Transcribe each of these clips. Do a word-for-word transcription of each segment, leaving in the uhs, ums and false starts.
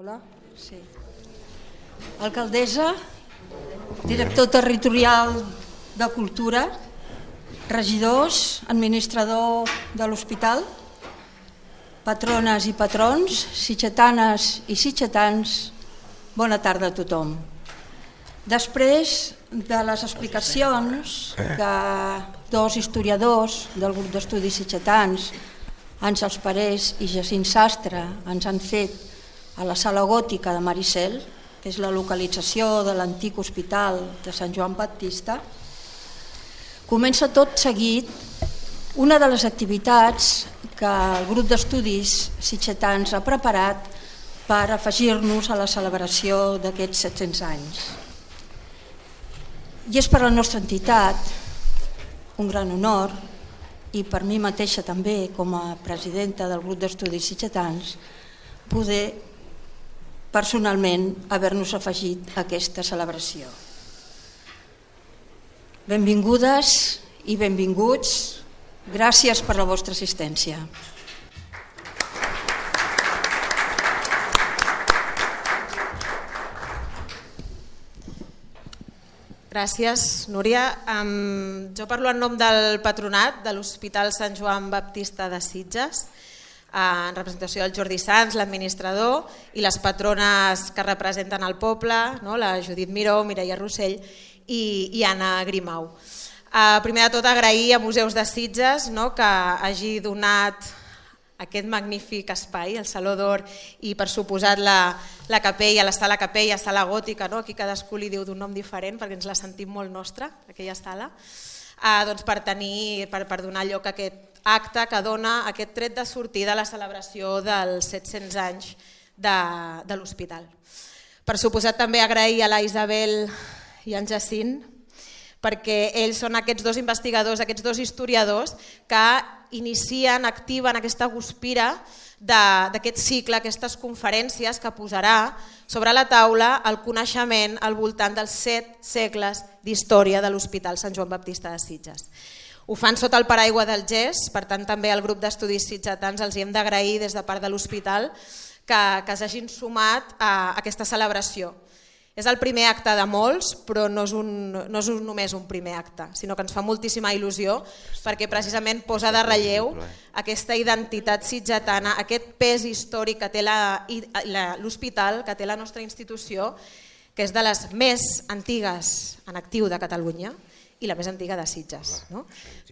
Hola, sí. Alcaldessa, director territorial de Cultura, regidors, administrador de l'hospital, patrones i patrons, sitgetanes i sitgetans, bona tarda a tothom. Després de les explicacions que dos historiadors del grup d'estudis sitgetans, Àngels Parés i Jacint Sastre, ens han fet a la Sala Gòtica de Maricel, que és la localització de l'antic hospital de Sant Joan Baptista, comença tot seguit una de les activitats que el grup d'estudis sitgetans ha preparat per afegir-nos a la celebració d'aquests set-cents anys. I és per a la nostra entitat un gran honor, i per mi mateixa també com a presidenta del grup d'estudis sitgetans, poder personalment haver-nos afegit a aquesta celebració. Benvingudes i benvinguts, gràcies per la vostra assistència. Gràcies, Núria. Um, jo parlo en nom del patronat de l'Hospital Sant Joan Baptista de Sitges, en representació del Jordi Sans, l'administrador, i les patrones que representen el poble, no? La Judit Miró, Mireia Rossell i, i Anna Grimau. Uh, primer de tot, agrair a Museus de Sitges, no? Que hagi donat aquest magnífic espai, el Saló d'Or, i per suposat la, la capella, la sala capella, sala gòtica, no? Aquí cadascú li diu d'un nom diferent perquè ens la sentim molt nostra, aquella sala, uh, doncs per, tenir, per, per donar lloc a aquest acte que dona aquest tret de sortida a la celebració dels set-cents anys de, de l'hospital. Per suposat també agrair a la Isabel i en Jacint, perquè ells són aquests dos investigadors, aquests dos historiadors que inicien, activen aquesta guspira d'aquest cicle, aquestes conferències que posarà sobre la taula el coneixement al voltant dels set segles d'història de l'Hospital Sant Joan Baptista de Sitges. Ho fan sota el paraigua del G E S, per tant també al grup d'estudis sitgetans els hi hem d'agrair des de part de l'hospital que, que s'hagin sumat a aquesta celebració. És el primer acte de molts, però no és, un, no és un, només un primer acte, sinó que ens fa moltíssima il·lusió perquè precisament posa de relleu aquesta identitat sitgetana, aquest pes històric que té l'hospital, que té la nostra institució, que és de les més antigues en actiu de Catalunya i la més antiga de Sitges. No?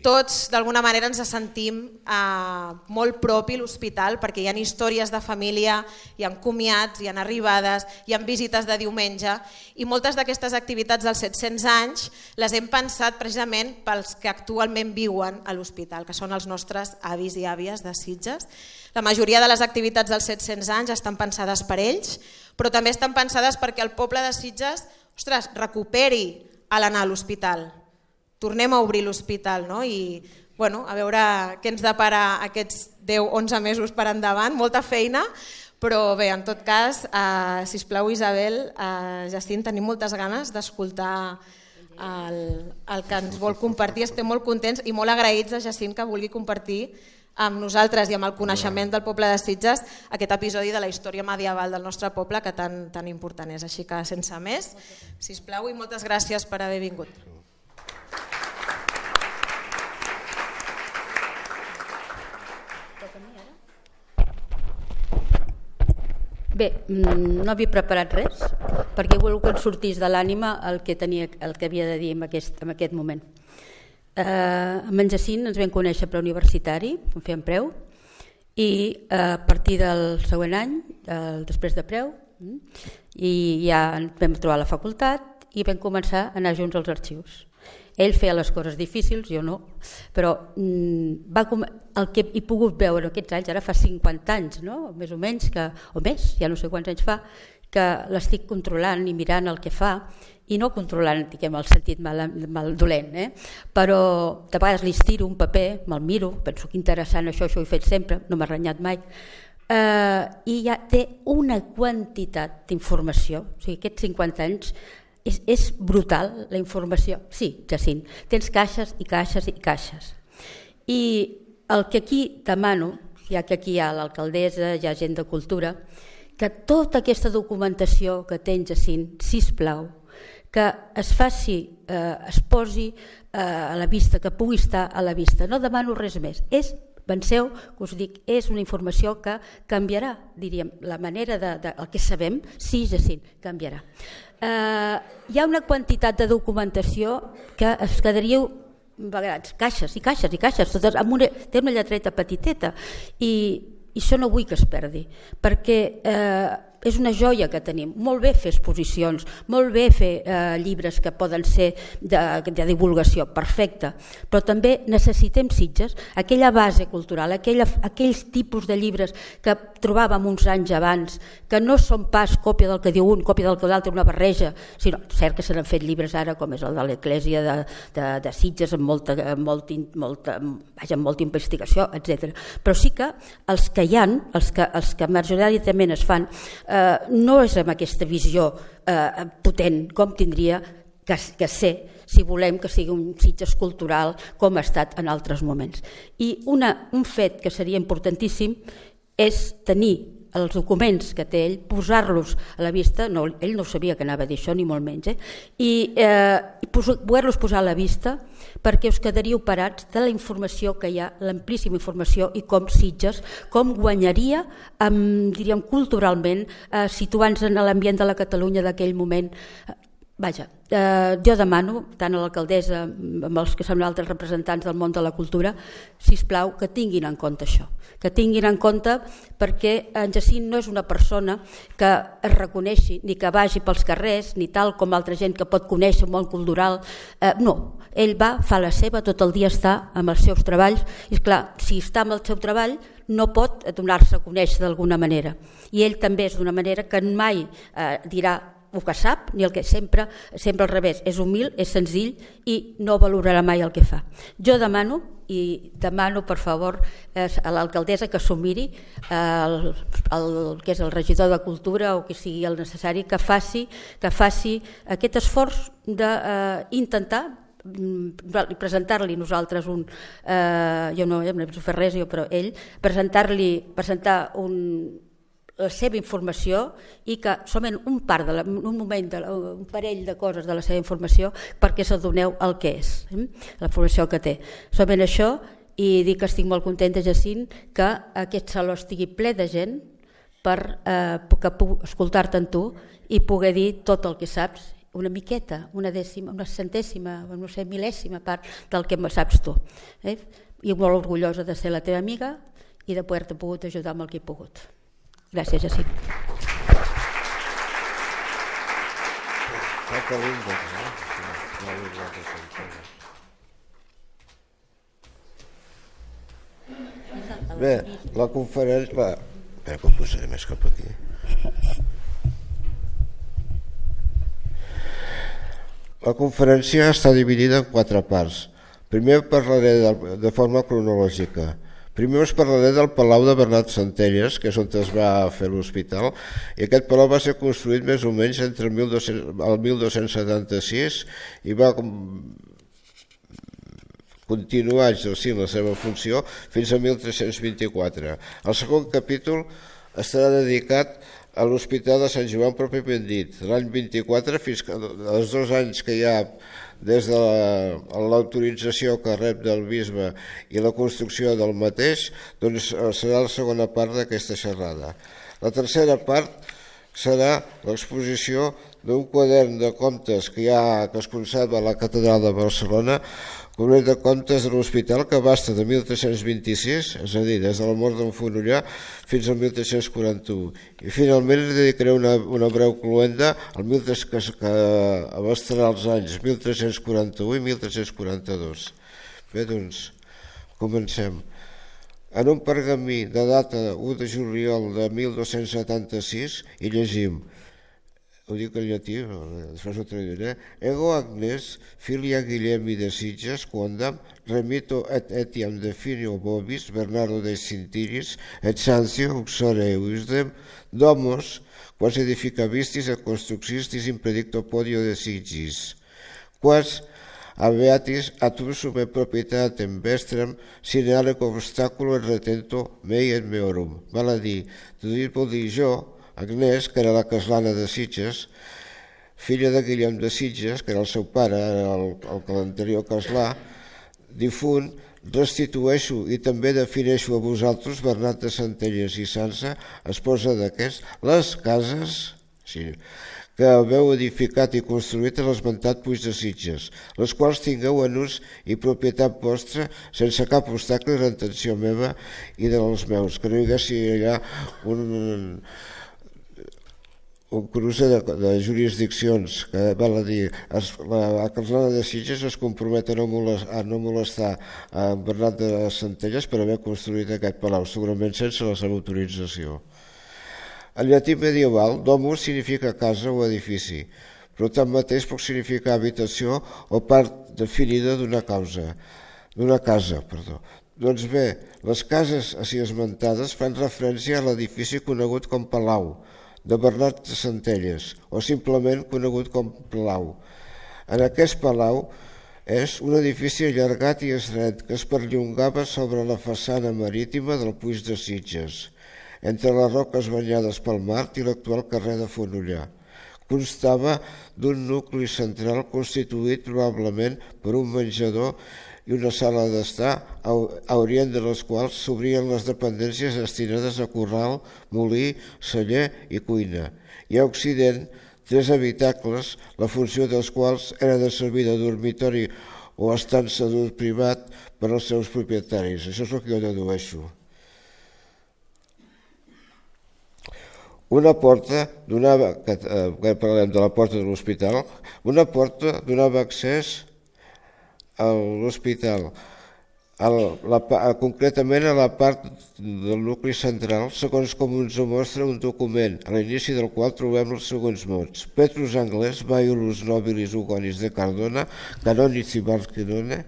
Tots d'alguna manera ens sentim eh, molt propi l'hospital perquè hi ha històries de família, hi ha comiats, hi ha arribades, hi ha visites de diumenge i moltes d'aquestes activitats dels set-cents anys les hem pensat precisament pels que actualment viuen a l'hospital, que són els nostres avis i àvies de Sitges. La majoria de les activitats dels set-cents anys estan pensades per ells, però també estan pensades perquè el poble de Sitges, ostres, recuperi a l'anar a l'hospital. Tornem a obrir l'hospital, no? I bueno, a veure què ens depara aquests deu onze mesos per endavant, molta feina, però bé, en tot cas, eh, sisplau Isabel, eh, Jacint, tenim moltes ganes d'escoltar el, el que ens vol compartir, estem molt contents i molt agraïts a Jacint que vulgui compartir amb nosaltres i amb el coneixement del poble de Sitges aquest episodi de la història medieval del nostre poble que tan, tan important és. Així que sense més, sisplau i moltes gràcies per haver vingut. Bé, no havia preparat res perquè he volgut que ens sortís de l'ànima el que tenia, el que havia de dir en aquest, en aquest moment. Eh, amb en Jacint ens vam conèixer preuniversitari, en fèiem preu, i a partir del següent any, eh, després de preu, i ja vam trobar la facultat i vam començar a anar junts als arxius. Ell feia les coses difícils, jo no, però va com... el que he pogut veure aquests anys, ara fa cinquanta anys, no? Més o menys, que, o més, ja no sé quants anys fa, que l'estic controlant i mirant el que fa, i no controlant, diguem, el sentit mal, mal dolent, eh? Però de vegades li estiro un paper, me'l miro, penso que interessant això, això ho he fet sempre, no m'ha renyat mai, eh, i ja té una quantitat d'informació, o sigui, aquests cinquanta anys, És, és brutal la informació. Sí, Jacint, tens caixes i caixes i caixes. I el que aquí demano, ja que aquí hi ha l'alcaldessa, hi ha gent de cultura, que tota aquesta documentació que tens, Jacint, sisplau, que es faci, eh, es posi eh, a la vista, que pugui estar a la vista. No demano res més. És, penseu, que us dic, és una informació que canviarà, diríem, la manera de, de el que sabem, sí, Jacint, canviarà. Eh, hi ha una quantitat de documentació que es quedaríeu vegades, caixes i caixes i caixes, totes, amb una, té una lletreta petiteta i, i això no vull que es perdi, perquè eh, és una joia que tenim. Molt bé fer exposicions, molt bé fer eh, llibres que poden ser de, de divulgació, perfecte, però també necessitem Sitges, aquella base cultural, aquella, aquells tipus de llibres que trobàvem uns anys abans, que no són pas còpia del que diu un, còpia del que l'altre, una barreja, sinó, cert que se n'han fet llibres ara, com és el de l'Església de, de, de Sitges, amb molta, amb molta, molta, vaja, amb molta investigació, etcètera. Però sí que els que hi ha, els que, els que majoritàriament es fan, eh, no és amb aquesta visió eh, potent com tindria que, que ser si volem que sigui un Sitges cultural com ha estat en altres moments. I una, un fet que seria importantíssim és tenir els documents que té ell, posar-los a la vista, no, ell no sabia que anava a dir això ni molt menys, eh? i eh, poder-los posar a la vista perquè us quedaríeu parats de la informació que hi ha, l'amplíssima informació i com Sitges, com guanyaria, amb, diríem, culturalment, eh, situant-se en l'ambient de la Catalunya d'aquell moment. Vaja, eh, jo demano, tant a l'alcaldessa amb els que són altres representants del món de la cultura, sisplau, que tinguin en compte això, que tinguin en compte perquè en Jacint no és una persona que es reconeixi ni que vagi pels carrers, ni tal com altra gent que pot conèixer el món cultural, eh, no, ell va, fa la seva, tot el dia està amb els seus treballs, i esclar, si està amb el seu treball no pot donar-se a conèixer d'alguna manera, i ell també és d'una manera que mai eh, dirà el que sap, ni el que sempre, sempre al revés, és humil, és senzill i no valorarà mai el que fa. Jo demano, i demano per favor eh, a l'alcaldessa que s'ho miri, eh, el, el que és el regidor de Cultura o que sigui el necessari, que faci, que faci aquest esforç d'intentar eh, presentar-li nosaltres un, eh, jo no, jo no he fet res, jo, però ell, presentar-li, presentar un la seva informació i que solament un part de la, un moment de la, un parell de coses de la seva informació perquè s'adoneu el que és, eh? La informació que té. Solament això, i dic que estic molt contenta, Jacint, que aquest saló estigui ple de gent per eh, que puc escoltar-te en tu i poder dir tot el que saps, una miqueta, una dècima, una centèsima, no sé, mil·lèsima part del que saps tu. Eh? I molt orgullosa de ser la teva amiga i de poder-te pogut ajudar amb el que he pogut. Gràcies, Jacint. Bé, la conferència... La... Espera que ho posaré més cap aquí. La conferència està dividida en quatre parts. Primer parlaré de, de forma cronològica. Primer us parlaré del Palau de Bernat Centelles, que és on es va fer l'hospital, i aquest palau va ser construït més o menys entre el mil dos-cents setanta-sis i va continuar exercint la seva funció fins a mil tres-cents vint-i-quatre. El segon capítol estarà dedicat a l'Hospital de Sant Joan pròpiament dit, l'any vint-i-quatre fins als dos anys que hi ha des de l'autorització que rep del bisbe i la construcció del mateix, doncs serà la segona part d'aquesta xerrada. La tercera part serà l'exposició d'un quadern de comptes que, hi ha, que es conserva a la Catedral de Barcelona, quadern de comptes de l'hospital que abasta de mil tres-cents vint-i-sis, és a dir, des de la mort d'en Fonollà fins al mil tres-cents quaranta-u. I finalment li dedicaré una, una breu cloenda al mil tres, que, que abastarà els anys mil tres-cents quaranta-u i mil tres-cents quaranta-dos. Bé, doncs, comencem. En un pergamí de data u de juliol de mil dos-cents setanta-sis hi llegim, ho dic en llatí, després ho traduiré, Ego Agnes, filia Guillemi de Sitges, quondam remito et etiam definio vobis, Bernardo de Sintiris, et Sancio, uxore eusdem, domos, quas edificavistis et construxistis in predicto podio de Sigis, quas aveatis atum sume proprietatem vestrem sine alec obstaculo et retento mei et meorum. Val a dir, tot vol dir jo, Agnès, que era la caslana de Sitges, filla de Guillem de Sitges, que era el seu pare, el, el anterior caslà, difunt, restitueixo i també defineixo a vosaltres, Bernat de Centelles i Sança, esposa d'aquest, les cases sí, que haveu edificat i construït a l'esmentat Puig de Sitges, les quals tingueu en ús i propietat vostra sense cap obstacle de la intenció meva i dels meus, que no hi haguessi allà un... un cruce de, de jurisdiccions que val a dir, es, la caslana de Sitges es compromet a no, molestar, a no molestar a Bernat de Centelles per haver construït aquest palau, segurament sense la seva autorització. En llatí medieval, domus significa casa o edifici, però tanmateix pot significar habitació o part definida d'una causa, d'una casa, perdó. Doncs bé, les cases així esmentades fan referència a l'edifici conegut com palau, de Bernat de Centelles, o simplement conegut com Palau. En aquest palau és un edifici allargat i estret que es perllongava sobre la façana marítima del Puig de Sitges, entre les roques banyades pel mar i l'actual carrer de Fonollar. Constava d'un nucli central constituït probablement per un menjador i una sala d'estar, a orient de les quals s'obrien les dependències destinades a corral, molí, celler i cuina, i a occident tres habitacles, la funció dels quals era de servir de dormitori o estança d'ús privat per als seus propietaris. Això és el que jo dedueixo. Una porta donava, que parlem de la porta de l'hospital, una porta donava accés a l'hospital, concretament a la part del nucli central, segons com ens ho mostra un document, a l'inici del qual trobem els següents mots. Petrus Anglès, Baiulus Nobilis Ugonis de Cardona, Canonis i Barquinone,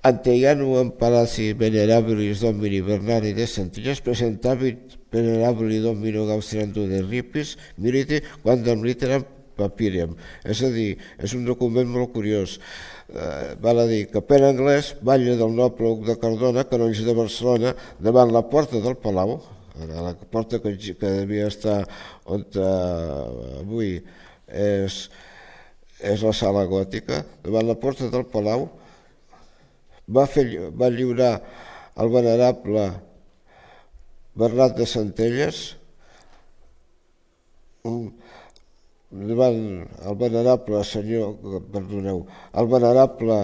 Anteianum Palaci Venerabilis Domini Bernari de Centelles, Presentabit Venerabili Domino Gaustriando de Ripis, Milite, Quandam Literam Papirium. És a dir, és un document molt curiós. Eh, val a dir que Pere Anglès, batlle del noble Hug de Cardona, canonge de Barcelona, davant la porta del Palau, la porta que, que devia estar on eh, avui és, és la sala gòtica, davant la porta del Palau, va, fer, va lliurar el venerable Bernat de Centelles, un davant el venerable senyor, perdoneu, el venerable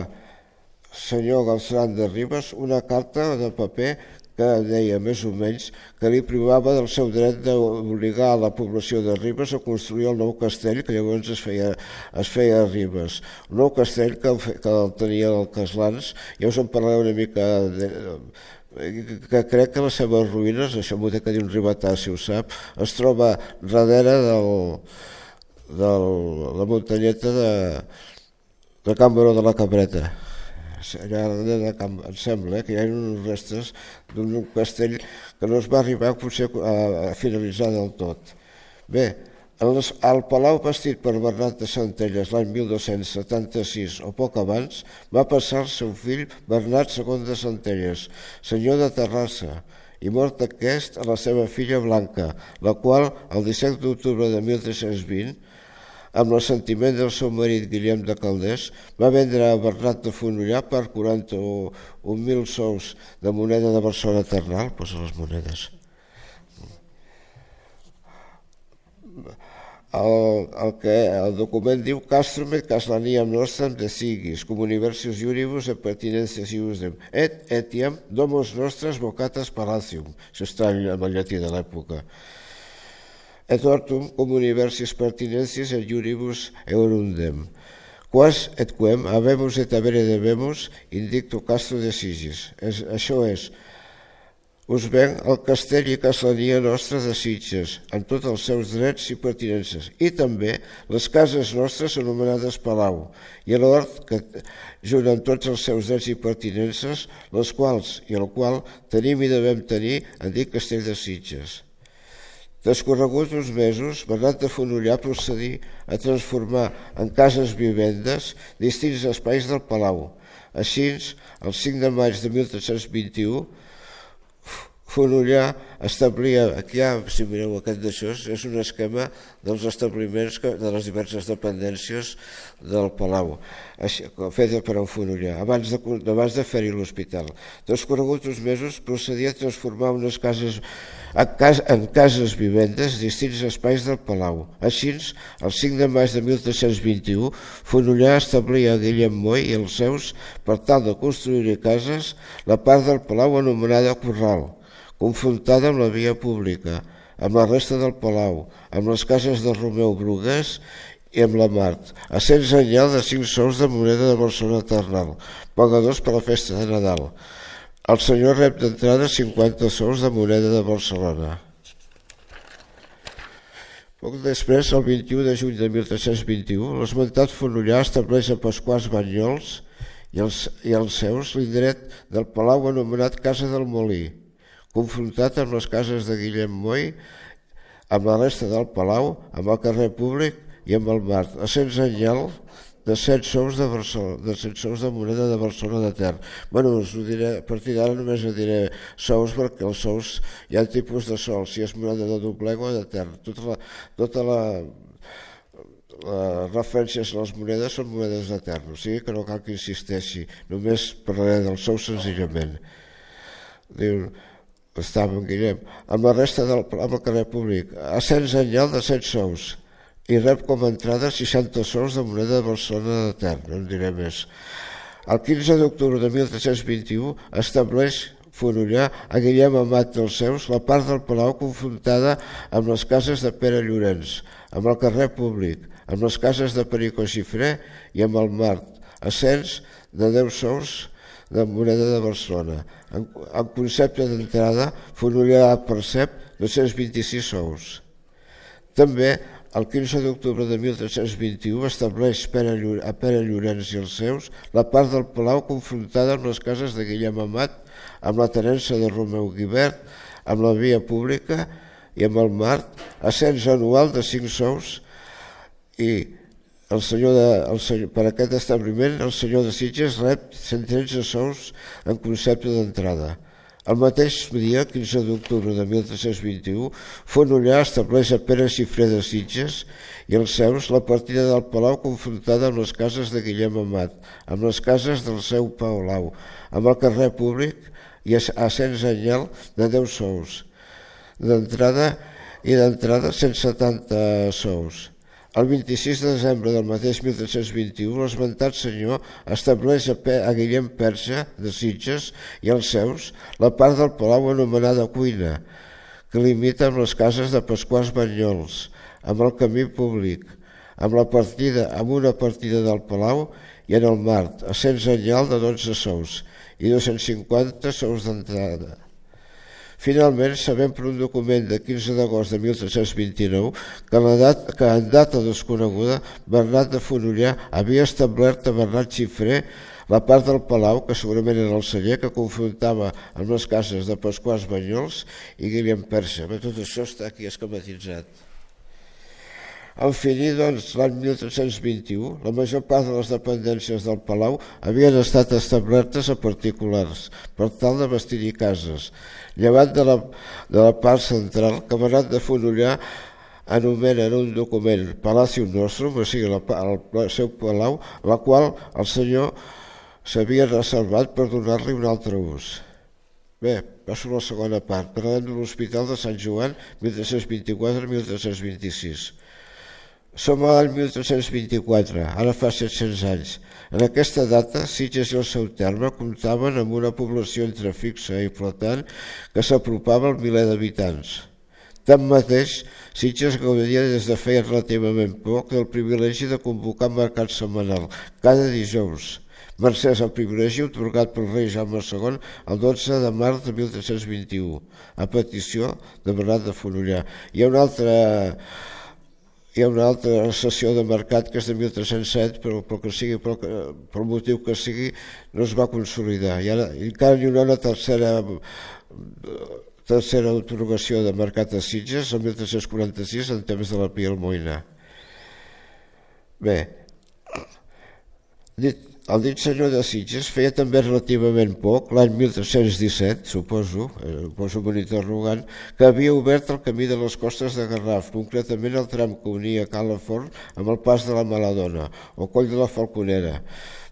senyor Galceran de Ribes, una carta de paper que deia més o menys que li privava del seu dret d'obligar a la població de Ribes a construir el nou castell que llavors es feia, es feia a Ribes. Un nou castell que, que el tenia el Caslans, ja us en parlaré una mica de, que crec que les seves ruïnes, això m'ho té que dir un ribetà si ho sap, es troba darrere del de la muntanyeta de, de Can Baró de la Cabreta. Allà de Can, em sembla eh, que hi ha uns restes d'un castell que no es va arribar potser a, a finalitzar del tot. Bé, el, el palau bastit per Bernat de Centelles l'any mil dos-cents setanta-sis o poc abans va passar al seu fill Bernat segon de Centelles, senyor de Terrassa, i mort aquest a la seva filla Blanca, la qual el disset d'octubre de mil tres-cents vint, amb l'assentiment del seu marit Guillem de Calders, va vendre a Bernat de Fonollar per quaranta-un mil sous de moneda de Barcelona Ternal, posa les monedes. El, el, que, el document diu Castrum et Caslaniam nostram de sigis, cum universius iuribus et pertinencies iusdem, et etiam domos nostras vocatas palacium, això està en el llatí de l'època, et ortum cum universis pertinencies et iuribus eurundem, quas et quem habemus et avere debemus indicto Castro de Sigis. Es, això és, us venc el castell i caslania nostra de Sitges, amb tots els seus drets i pertinences, i també les cases nostres anomenades Palau, i l'hort que, junt amb tots els seus drets i pertinences, les quals i el qual tenim i devem tenir, en dit castell de Sitges. Descorreguts uns mesos, Bernat de Fonollar procedí a transformar en cases vivendes distints espais del Palau. Així, el cinc de maig de mil tres-cents vint-i-u, Fonollà establia, aquí ja, si mireu aquest d'això, és un esquema dels establiments de les diverses dependències del Palau, feta per en Fonollà, abans de, abans de fer-hi l'hospital. Transcorreguts uns mesos procedia a transformar unes cases en cases vivendes distints espais del Palau. Així, el cinc de maig de mil tres-cents vint-i-u, Fonollà establia a Guillem Moy i els seus per tal de construir-hi cases la part del Palau anomenada Corral, confrontada amb la via pública, amb la resta del Palau, amb les cases de Romeu Brugués i amb la Mart, a cent senyal de cinc sous de moneda de Barcelona Ternal, pagadors per la festa de Nadal. El senyor rep d'entrada cinquanta sous de moneda de Barcelona. Poc després, el vint-i-u de juny de mil tres-cents vint-i-u, l'esmentat Fonollà estableix a Pasquals Banyols i els, i els seus l'indret del Palau anomenat Casa del Molí, confrontat amb les cases de Guillem Moy, amb la resta del Palau, amb el carrer Públic i amb el Mart, a cent senyal de set sous de, de set sous de moneda de Barcelona de Ter. Bueno, us ho diré, a partir d'ara només ho diré sous, perquè els sous hi ha tipus de sol, si és moneda de Doblega o de Ter. Tota la, tota la, les referències a les monedes són monedes de Ter, o sigui que no cal que insisteixi, només parlaré del sou senzillament. Diu, estava en Guillem, amb la resta del amb el carrer Públic, a cent senyal de set sous, i rep com a entrada seixanta sous de moneda de Barcelona de Ter, no en diré més. El quinze d'octubre de mil tres-cents vint-i-u estableix Fonollà a Guillem Amat dels seus la part del Palau confrontada amb les cases de Pere Llorenç, amb el carrer Públic, amb les cases de Perico Xifré i amb el Mart, a cents de deu sous de moneda de Barcelona. En, en concepte d'entrada, Fonollà percep dos-cents vint-i-sis sous. També, el quinze d'octubre de mil tres-cents vint-i-u, estableix Pere, a Pere Llorenç i els seus la part del Palau confrontada amb les cases de Guillem Amat, amb la tenença de Romeu Guibert, amb la via pública i amb el Mart, a cens anual de cinc sous i el senyor de, el senyor, per aquest establiment el senyor de Sitges rep cent tretze sous en concepte d'entrada. El mateix dia, quinze d'octubre de mil tres-cents vint-i-u, Fonollà estableix a Pere Xifré de Sitges i els seus la partida del Palau confrontada amb les cases de Guillem Amat, amb les cases del seu Palau, amb el carrer Públic i a cent senyal de deu sous d'entrada i d'entrada cent setanta sous. El vint-i-sis de desembre del mateix mil tres-cents vint-i-u, l'esmentat senyor estableix a Guillem Perxa de Sitges i els seus la part del Palau anomenada Cuina, que limita amb les cases de Pasquals Banyols, amb el camí Públic, amb la partida, amb una partida del Palau i en el Mart, a cent senyal de dotze sous i dos-cents cinquanta sous d'entrada. Finalment, sabem per un document de quinze d'agost de mil tres-cents vint-i-nou que, la dat, que en data desconeguda Bernat de Fonollà havia establert a Bernat Xifré la part del Palau, que segurament era el celler, que confrontava amb les cases de Pasquals Banyols i Guillem Perxa. Bé, tot això està aquí esquematitzat. En finir, doncs, l'any mil tres-cents vint-i-u, la major part de les dependències del Palau havien estat establertes a particulars per tal de vestir-hi cases, llevat de la, de la part central que Bernat de Fonollà anomena en un document Palacio Nostrum, o sigui, la, el, el seu palau, la qual el senyor s'havia reservat per donar-li un altre ús. Bé, passo a la segona part, parlant de l'Hospital de Sant Joan, mil tres-cents vint-i-quatre a mil tres-cents vint-i-sis. Som a l'any mil tres-cents vint-i-quatre, ara fa set-cents anys. En aquesta data, Sitges i el seu terme comptaven amb una població entre fixa i flotant que s'apropava al miler d'habitants. Tanmateix, Sitges gaudia des de feia relativament poc del privilegi de convocar mercat setmanal, cada dijous, mercès al privilegi atorgat pel rei Jaume segon el dotze de març de mil tres-cents vint-i-u, a petició de Bernat de Fonollà. Hi ha una altra... Hi ha una altra sessió de mercat que és de mil tres-cents set, però pel que sigui, pel, pel motiu que sigui, no es va consolidar. I ara encara hi ha una tercera, tercera atorgació de mercat a Sitges, el mil tres-cents quaranta-sis, en temps de la Pia Almoina. Bé, dit, el dit senyor de Sitges feia també relativament poc, l'any mil tres-cents disset, suposo, eh, poso un interrogant, que havia obert el camí de les costes de Garraf, concretament el tram que unia Calafort amb el pas de la Maladona o Coll de la Falconera,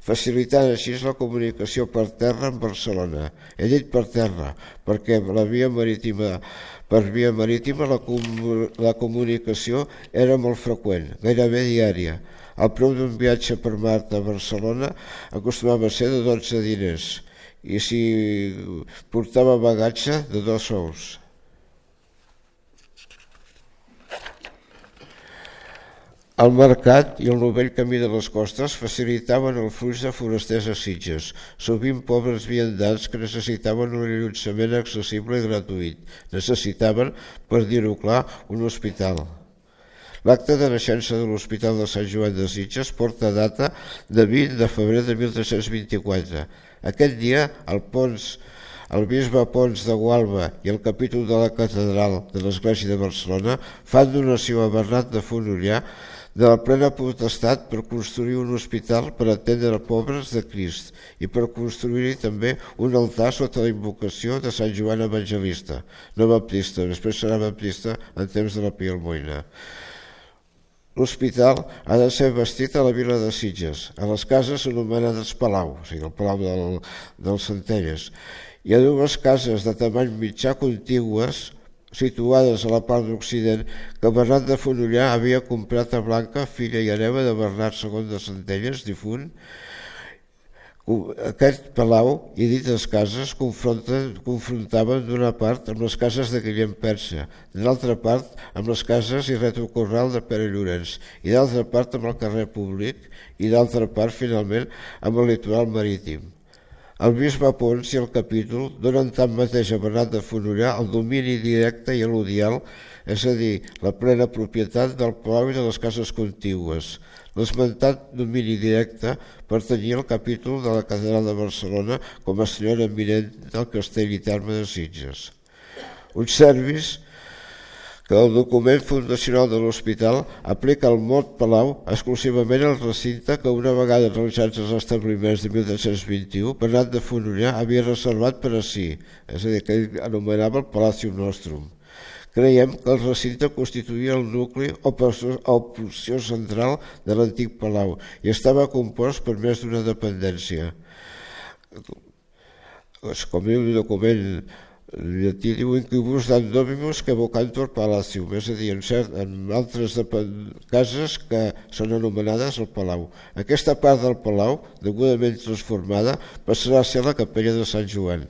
facilitant així la comunicació per terra amb Barcelona. He dit per terra perquè la via marítima, per via marítima la, com, la comunicació era molt freqüent, gairebé diària. El preu d'un viatge per mar a Barcelona acostumava a ser de dotze diners i si portava bagatge de dos sous. El mercat i el novell camí de les costes facilitaven el flux de forasters a Sitges, sovint pobres viandants que necessitaven un allotjament accessible i gratuït. Necessitaven, per dir-ho clar, un hospital. L'acte de naixença de l'Hospital de Sant Joan de Sitges porta data de vint de febrer de mil tres-cents vint-i-quatre. Aquest dia, el, Pons, el bisbe Pons de Gualba i el capítol de la catedral de l'Església de Barcelona fan donació a Bernat de Fonollar de la plena potestat per construir un hospital per atendre pobres de Crist i per construir-hi també un altar sota la invocació de Sant Joan Evangelista, no baptista, després serà baptista en temps de la Pia Almoina. L'hospital ha de ser bastit a la vila de Sitges, a les cases anomenades Palau, o sigui, el Palau del, dels Centelles. Hi ha dues cases de tamany mitjà contigües situades a la part d'Occident que Bernat de Fonollar havia comprat a Blanca, filla i hereva de Bernat segon de Centelles, difunt. Aquest palau i dites cases confrontaven d'una part amb les cases de Guillem Perxa, de l'altra part amb les cases i retrocorral de Pere Llorenç, i d'altra part amb el carrer Públic, i d'altra part, finalment, amb el litoral marítim. El bisbe Pons i el capítol donen tanmateix a Bernat de Fonollar el domini directe i eludial, és a dir, la plena propietat del palau i de les cases contigües. L'esmentat domini directe pertanyia al capítol de la catedral de Barcelona com a senyora eminent del castell i terme de Sitges. Observis que el document fundacional de l'hospital aplica el mot palau exclusivament al recinte que una vegada realitzats els establiments de mil tres-cents vint-i-u, Bernat de Fonollar havia reservat per a si, és a dir, que ell anomenava el Palacium Nostrum. Creiem que el recinte constituïa el nucli o porció central de l'antic palau i estava compost per més d'una dependència. Com diu el document llatí, diu incubus dan dominus que vocantur palacium, és a dir, en, cert, en altres cases que són anomenades el palau. Aquesta part del palau, degudament transformada, passarà a ser la capella de Sant Joan.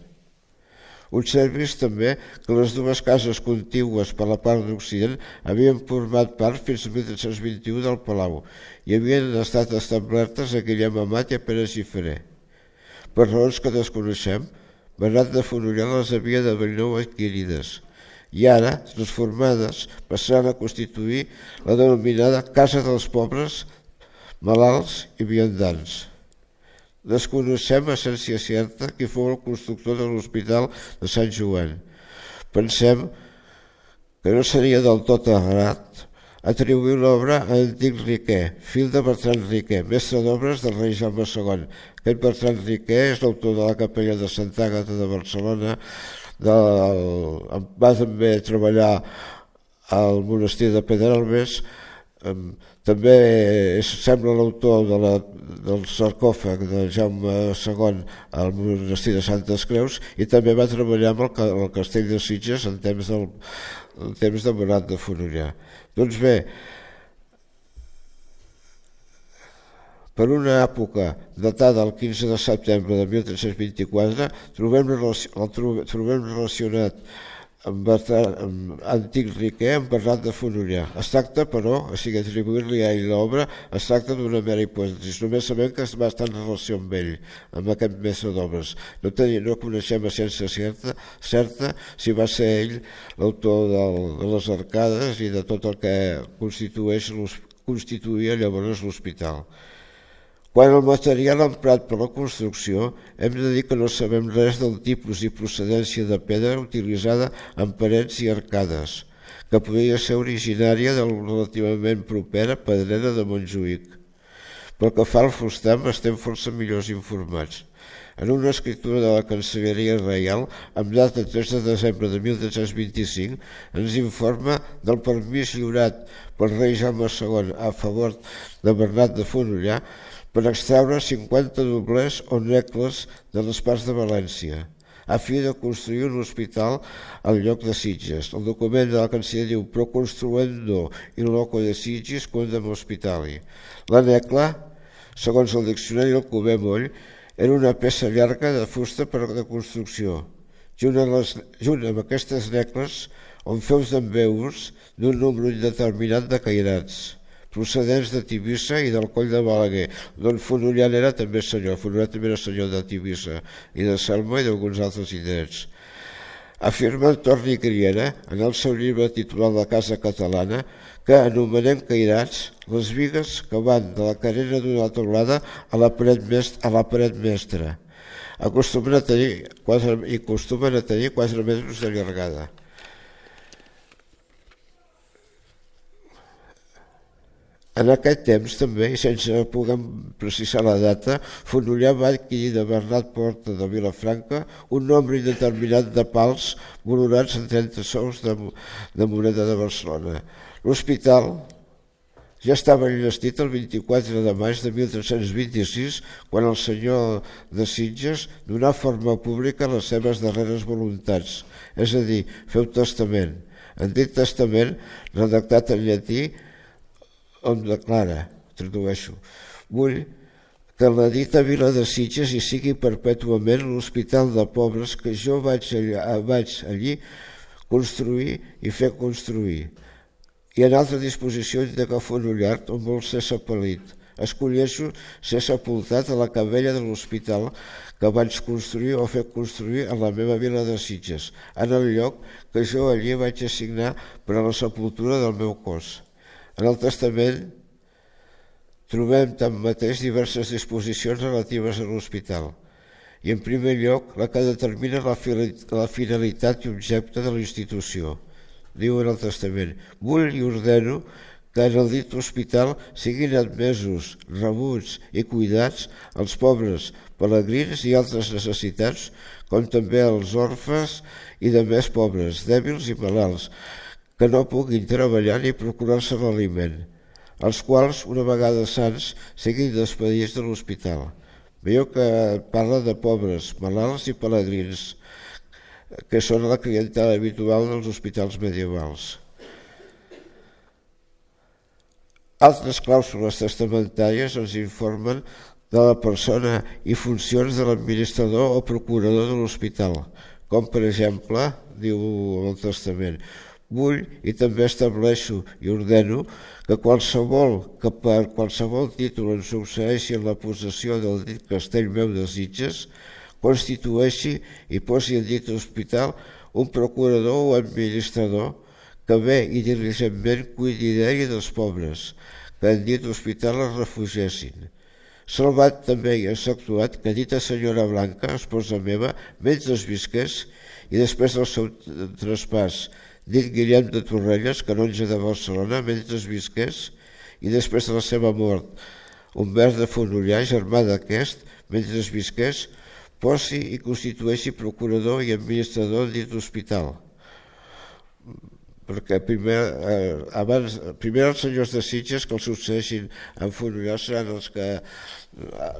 Observis també que les dues cases contigües per la part d'Occident havien format part fins a mil tres-cents vint-i-u del Palau i havien estat establertes a Guillem Amat i a Pere Gifré. Per raons que desconeixem, Bernat de Fonollar les havia de ben nou adquirides i ara, transformades, passaran a constituir la denominada Casa dels Pobres, Malalts i Viandants. Desconeixem a essència certa qui fou el constructor de l'Hospital de Sant Joan. Pensem que no seria del tot errat atribuir l'obra a Antic Riquer, fill de Bertran Riquer, mestre d'obres del rei Jaume segon. Aquest Bertran Riquer és l'autor de la capella de Sant Àgata de Barcelona, del... va també treballar al monestir de Pedralbes, també sembla l'autor de la, del sarcòfag de Jaume segon al monestir de Santes Creus i també va treballar amb el, el castell de Sitges en temps, del, en temps de Bernat de Fonollar. Doncs bé, per una època datada el quinze de setembre de mil tres-cents vint-i-quatre trobem, trobem relacionat amb, Bertran, amb Antic Riquer amb Bernat de Fonollar. Es tracta, però, o sigui, atribuir-li a ell l'obra, es tracta d'una mera hipòtesi. Només sabem que va estar en relació amb ell, amb aquest mestre d'obres. No, no coneixem a ciència certa, certa si va ser ell l'autor de les arcades i de tot el que constitueix, constituïa llavors l'hospital. Quant al material emprat per la construcció, hem de dir que no sabem res del tipus i procedència de pedra utilitzada en parets i arcades, que podria ser originària de la relativament propera Pedrera de Montjuïc. Pel que fa al fustam, estem força millors informats. En una escriptura de la Cancelleria Reial, amb data tres de desembre de mil tres-cents vint-i-cinc, ens informa del permís lliurat pel rei Jaume segon a favor de Bernat de Fonollar per extraure cinquanta doblers o necles de les parts de València, a fi de construir un hospital al lloc de Sitges. El document de la Cancelleria diu pro construendo in loco de Sitges quondam hospitali. La necla, segons el diccionari del Cuber Moll, era una peça llarga de fusta per a la construcció, junt amb, les, junt amb aquestes necles on feus d'embeus d'un número indeterminat de cairats, procedents de Tivissa i del Coll de Balaguer, d'on Fonollar era també senyor. Fonollar també era senyor de Tivissa i de Selma i d'alguns altres indrets. Afirma Torni Griera, en el seu llibre titulat La Casa Catalana, que anomenem cairats les bigues que van de la carena d'una teulada a la paret, mestra, a la paret mestra. Acostumen a tenir quatre, i acostumen a tenir quatre metres de llargada. En aquest temps també, i sense poder precisar la data, Fonollar va adquirir de Bernat Porta de Vilafranca un nombre indeterminat de pals valorats en trenta sous de, de moneda de Barcelona. L'hospital ja estava enllestit el vint-i-quatre de maig de mil tres-cents vint-i-sis, quan el senyor de Sitges donà forma pública a les seves darreres voluntats, és a dir, feu testament. En dit testament, redactat en llatí, on declara, tradueixo, vull que en la dita vila de Sitges hi sigui perpètuament l'hospital de pobres que jo vaig, allà, vaig allí construir i fer construir. I en altra disposició indica Fonollar, on vol ser sepalit. Escolleixo ser sepultat a la cabella de l'hospital que vaig construir o fer construir a la meva vila de Sitges, en el lloc que jo allí vaig assignar per a la sepultura del meu cos. En el testament trobem tanmateix diverses disposicions relatives a l'hospital i, en primer lloc, la que determina la finalitat i objecte de la institució. Diu en el testament: vull i ordeno que en el dit hospital siguin admesos, rebuts i cuidats els pobres, pelegrins i altres necessitats, com també els orfes i de més pobres, dèbils i malalts, que no puguin treballar ni procurar-se l'aliment, els quals, una vegada sants, siguin despedits de l'hospital. Veieu que parla de pobres, malalts i pelegrins, que són la clientela habitual dels hospitals medievals. Altres clàusules testamentàries ens informen de la persona i funcions de l'administrador o procurador de l'hospital, com per exemple, diu el testament, vull i també estableixo i ordeno que qualsevol que per qualsevol títol en succeeixi en la possessió del dit castell meu de Sitges constitueixi i posi en dit hospital un procurador o administrador que bé i diligentment cuidi d'ell i dels pobres, que en dit hospital es refugiessin. Salvat també i exceptuat que dita senyora Blanca, esposa meva, mentre es visqués i després del seu traspàs, dit Guillem de Torrelles, canonge de Barcelona, mentre es visqués, i després de la seva mort, Humbert de Fonollar, germà d'aquest, mentre es visqués, posi i constitueixi procurador i administrador dit hospital. Perquè primer, eh, abans, primer els senyors de Sitges que els succeeixin en Fonollar seran els que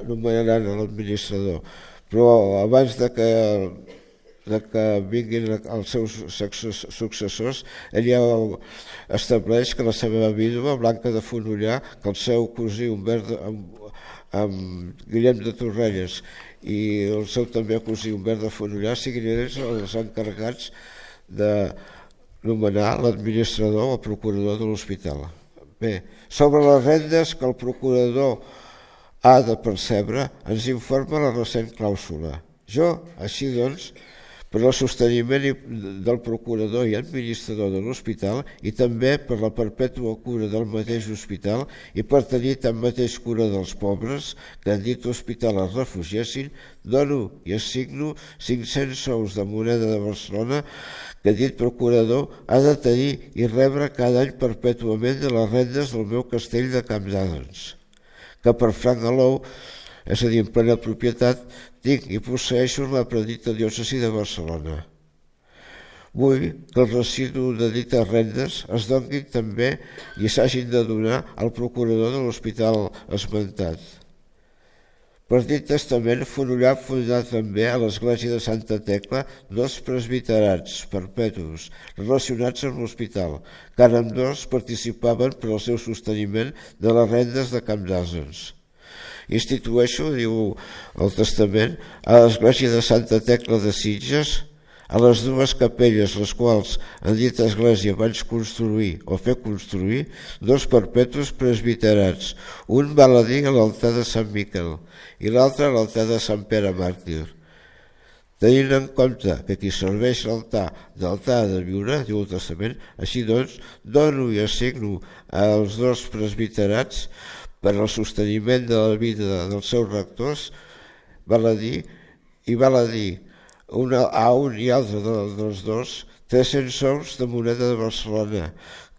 nomenaran l'administrador. Però abans de que de que vinguin els seus successors, ell ja estableix que la seva vídua, Blanca de Fonollar, que el seu cosí Humbert amb, amb Guillem de Torrelles i el seu també cosí Humbert de Fonollar siguin ells els encarregats de nomenar l'administrador o procurador de l'hospital. Bé, sobre les rendes que el procurador ha de percebre, ens informa la recent clàusula. Jo, així doncs, per al sosteniment del procurador i administrador de l'hospital i també per la perpètua cura del mateix hospital i per tenir tanmateix cura dels pobres que en dit hospital es refugiessin, dono i assigno cinc-cents sous de moneda de Barcelona que dit procurador ha de tenir i rebre cada any perpètuament de les rendes del meu castell de Campdadens, que per Franc Alou, és a dir, en plena propietat, tinc i posseeixo la predita diòcesi de Barcelona. Vull que el residu de dites rendes es donin també i s'hagin de donar al procurador de l'hospital esmentat. Per dit testament, Fonollar fundà també a l'església de Santa Tecla dos presbiterats perpetus relacionats amb l'hospital, que ambdós participaven per al seu sosteniment de les rendes de Camp d'Àsens. Institueixo, diu el testament, a l'església de Santa Tecla de Sitges, a les dues capelles, les quals en dita església vaig construir o fer construir, dos perpetus presbiterats, un val a dir a l'altar de Sant Miquel i l'altre a l'altar de Sant Pere Màrtir. Tenint en compte que qui serveix l'altar d'altar de viure, diu el testament, així doncs, dono i assigno als dos presbiterats per al sosteniment de la vida dels seus rectors, val a dir, i val a dir, Una, a un i altre dels dos, tres-cents sous de moneda de Barcelona,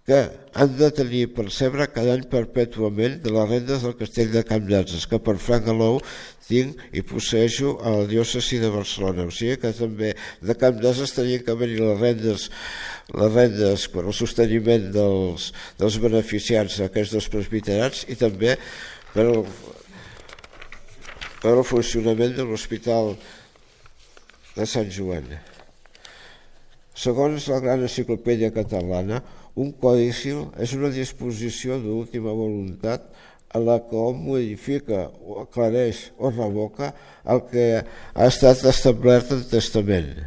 que han de tenir i percebre cada any perpètuament de les rendes del castell de Camp d'Àsens, que per Franc Alou tinc i posseeixo a la diòcesi de Barcelona. O sigui que també de Camp d'Àsens tenien que venir les rendes, les rendes per al sosteniment dels, dels beneficiats d'aquests dos presbiterats i també per al, per al funcionament de l'hospital de Sant Joan. Segons la Gran Enciclopèdia Catalana, un codi civil és una disposició d'última voluntat a la que hom modifica, o aclareix o revoca el que ha estat establert en testament.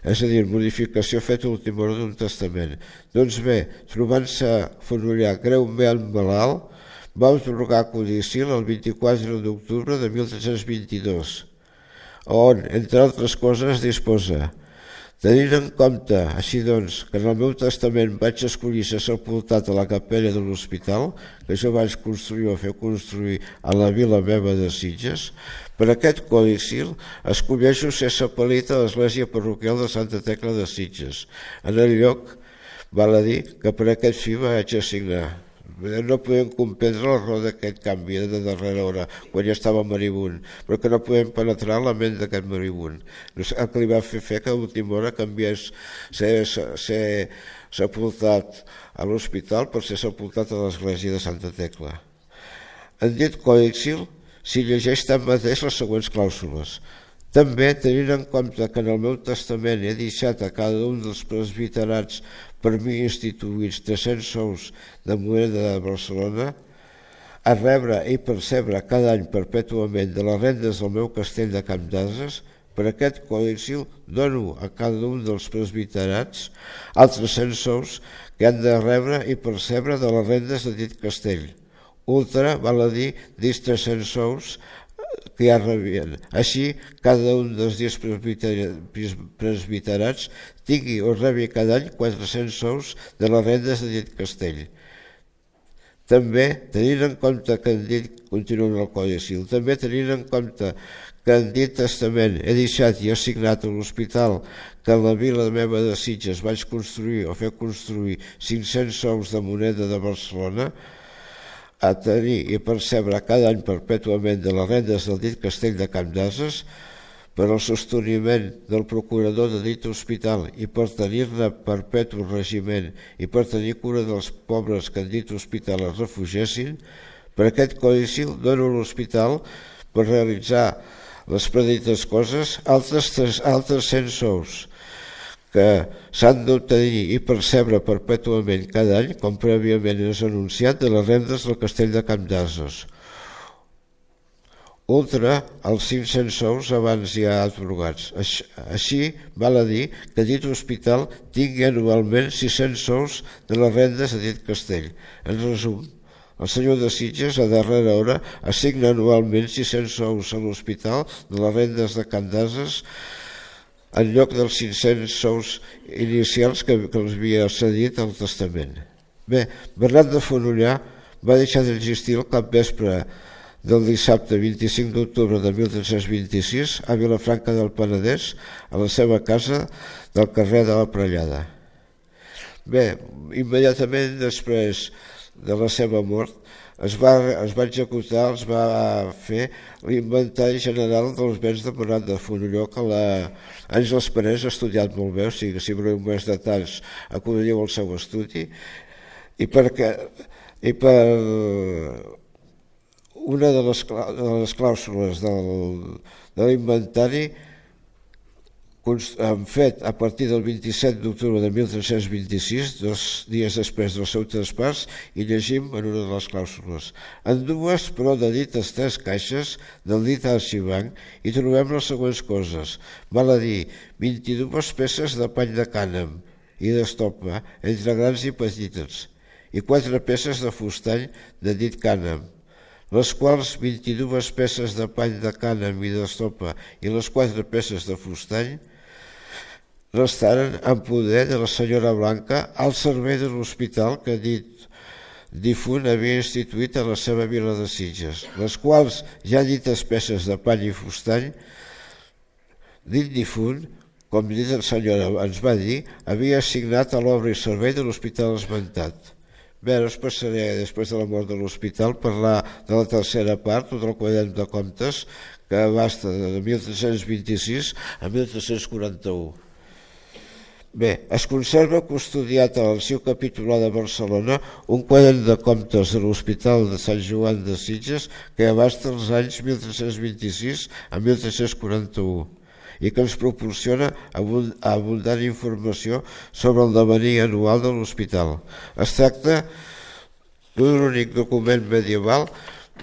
És a dir, modificació feta a última hora d'un testament. Doncs bé, trobant-se Fonollar greument malalt, va atorgar codi civil el vint-i-quatre d'octubre de mil tres-cents vint-i-dos, on, entre altres coses, disposa: tenint en compte, així doncs, que en el meu testament vaig escollir ser sepultat a la capella de l'hospital, que jo vaig construir o fer construir a la vila meva de Sitges, per aquest codi civil escolleixo ser seppellit a l'església parroquial de Santa Tecla de Sitges, en el lloc, val a dir, que per aquest fi vaig assignar. No podem comprendre la raó d'aquest canvi de darrera hora, quan ja estava moribund, però que no podem penetrar la ment d'aquest moribund. El que li va fer fer que a l'última hora canviés ser, ser sepultat a l'hospital per ser sepultat a l'església de Santa Tecla. En dit codi civil s'hi llegeix tanmateix les següents clàusules. També, tenint en compte que en el meu testament he deixat a cada un dels presbiterats per mi instituïts tres-cents sous de moneda de Barcelona, a rebre i percebre cada any perpètuament de les rendes del meu castell de Camp d'Àsens, per aquest codi civil dono a cada un dels presbiterats els tres-cents sous que han de rebre i percebre de les rendes de dit castell. Ultra, val a dir, dits tres-cents sous que ja rebien. Així, cada un dels dies presbiterats tingui o rebi cada any quatre-cents sous de les rendes de dit castell. També, tenint en compte que en dit, continua en el Codi Civil, també tenint en compte que en dit testament he deixat i assignat a l'hospital que en la vila meva de Sitges vaig construir o fer construir cinc-cents sous de moneda de Barcelona, a tenir i percebre cada any perpètuament de les rendes del dit castell de Camp d'Àsens per al sosteniment del procurador de dit hospital i per tenir-ne perpètu regiment i per tenir cura dels pobres que en dit hospital es refugiessin, per aquest codi civil dono a l'hospital per realitzar les predites coses altres, altres cent sous que s'han d'obtenir i percebre perpètuament cada any, com prèviament és anunciat, de les rendes del castell de Camp d'Àsens. Ultra, els cinc-cents sous abans ja atorgats. Així, val a dir que dit hospital tingui anualment sis-cents sous de les rendes de dit castell. En resum, el senyor de Sitges, a darrera hora, assigna anualment sis-cents sous a l'hospital de les rendes de Camp d'Àsens en lloc dels cinc-cents sous inicials que, que els havia cedit al testament. Bé, Bernat de Fonollar va deixar d'existir el capvespre del dissabte vint-i-cinc d'octubre de mil tres-cents vint-i-sis a Vilafranca del Penedès, a la seva casa del carrer de la Prellada. Bé, immediatament després de la seva mort, es va, es va executar, es va fer l'inventari general dels béns de Morat de Fonolló, que l'Àngels Parés ha estudiat molt bé, o sigui que si voleu més detalls acudiu al seu estudi, i perquè i per una de les, de les clàusules del, de l'inventari han fet a partir del vint-i-set d'octubre de mil tres-cents vint-i-sis, dos dies després del seu traspàs, i llegim en una de les clàusules. En dues, però, de dites tres caixes del dit arxivanc hi trobem les següents coses. Val a dir, vint-i-dues peces de pany de cànem i d'estopa, entre grans i petites, i quatre peces de fustany de dit cànem, les quals vint-i-dues peces de pany de cànem i d'estopa i les quatre peces de fustany restaren en poder de la senyora Blanca al servei de l'hospital que dit difunt havia instituït a la seva vila de Sitges, les quals ja dites peces de pany i fustany, dit difunt, com dit la senyora ens va dir, havia assignat a l'obra i servei de l'hospital esmentat. Bé, ara us passaré, després de la mort de l'hospital, parlar de la tercera part, o del quadern de comptes, que abasta de mil tres-cents vint-i-sis a mil tres-cents quaranta-u. Bé, es conserva custodiat a l'Arxiu Capitular de Barcelona un quadern de comptes de l'Hospital de Sant Joan de Sitges que abasta els anys mil tres-cents vint-i-sis a mil tres-cents quaranta-u i que ens proporciona abundant informació sobre el devenir anual de l'hospital. Es tracta d'un únic document medieval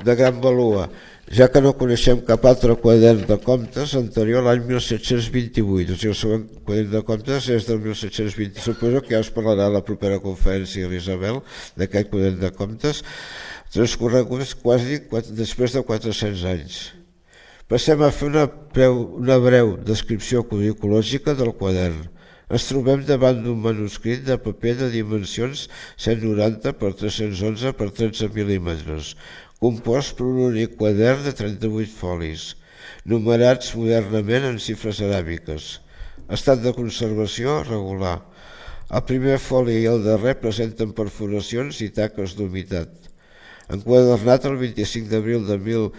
de gran valor, ja que no coneixem cap altre quadern de comptes anterior a l'any mil set-cents vint-i-vuit. O sigui, el següent quadern de comptes és del mil set-cents vint. Suposo que ja us parlarà a la propera conferència, l'Isabel, d'aquest quadern de comptes, transcorreguts quasi després de quatre-cents anys. Passem a fer una breu, una breu descripció curriculògica del quadern. Ens trobem davant d'un manuscrit de paper de dimensions cent noranta per tres-cents onze per tretze mil·límetres, compost per un únic quadern de trenta-vuit folis, numerats modernament en xifres aràbiques. Estat de conservació regular. El primer foli i el darrer presenten perforacions i taques d'humitat. Enquadernat el vint-i-cinc d'abril de mil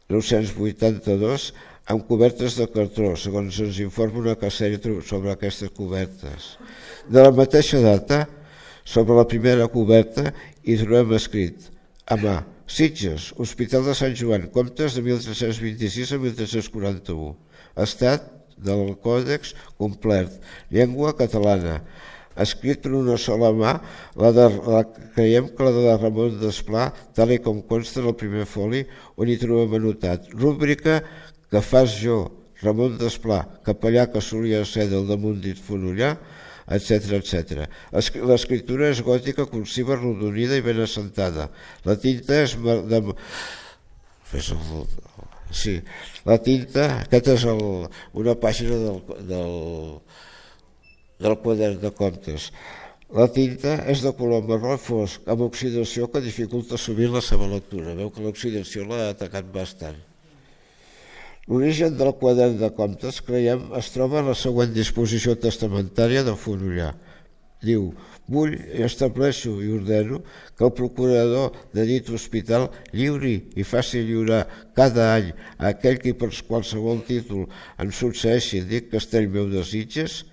nou-cents vuitanta-dos amb cobertes de cartró, segons ens informa una casella sobre aquestes cobertes. De la mateixa data, sobre la primera coberta, hi trobem escrit a mà: Sitges, Hospital de Sant Joan, comptes de mil tres-cents vint-i-sis a mil tres-cents quaranta-u. Estat del còdex complet, llengua catalana, escrit per una sola mà, la de, la, creiem que la de Ramon Desplà, tal i com consta en el primer foli, on hi trobem anotat: rúbrica que fas jo, Ramon Desplà, capellà que solia ser del damunt dit Fonollà, etcètera, etcètera. L'escriptura és gòtica, cursiva, arrodonida i ben assentada. La tinta és de... Fes el... Sí, la tinta, aquesta és el, una pàgina del, del, del quadern de comptes. La tinta és de color marró fosc, amb oxidació que dificulta sovint la seva lectura. Veu que l'oxidació l'ha atacat bastant. L'origen del quadern de comptes, creiem, es troba en la següent disposició testamentària de Fonollà. Diu: vull i estableixo i ordeno que el procurador de dit hospital lliuri i faci lliurar cada any a aquell qui per qualsevol títol en succeeixi dit castell meu de Sitges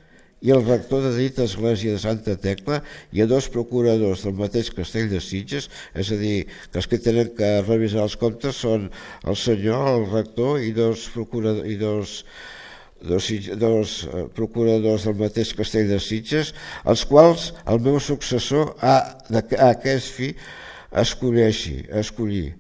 i el rector de dit església de Santa Tecla i a dos procuradors del mateix castell de Sitges, és a dir, que els que tenen que revisar els comptes són el senyor, el rector i dos procuradors i dos Dos, dos procuradors del mateix castell de Sitges, els quals el meu successor ha, a aquest fi escolleixi, escollir.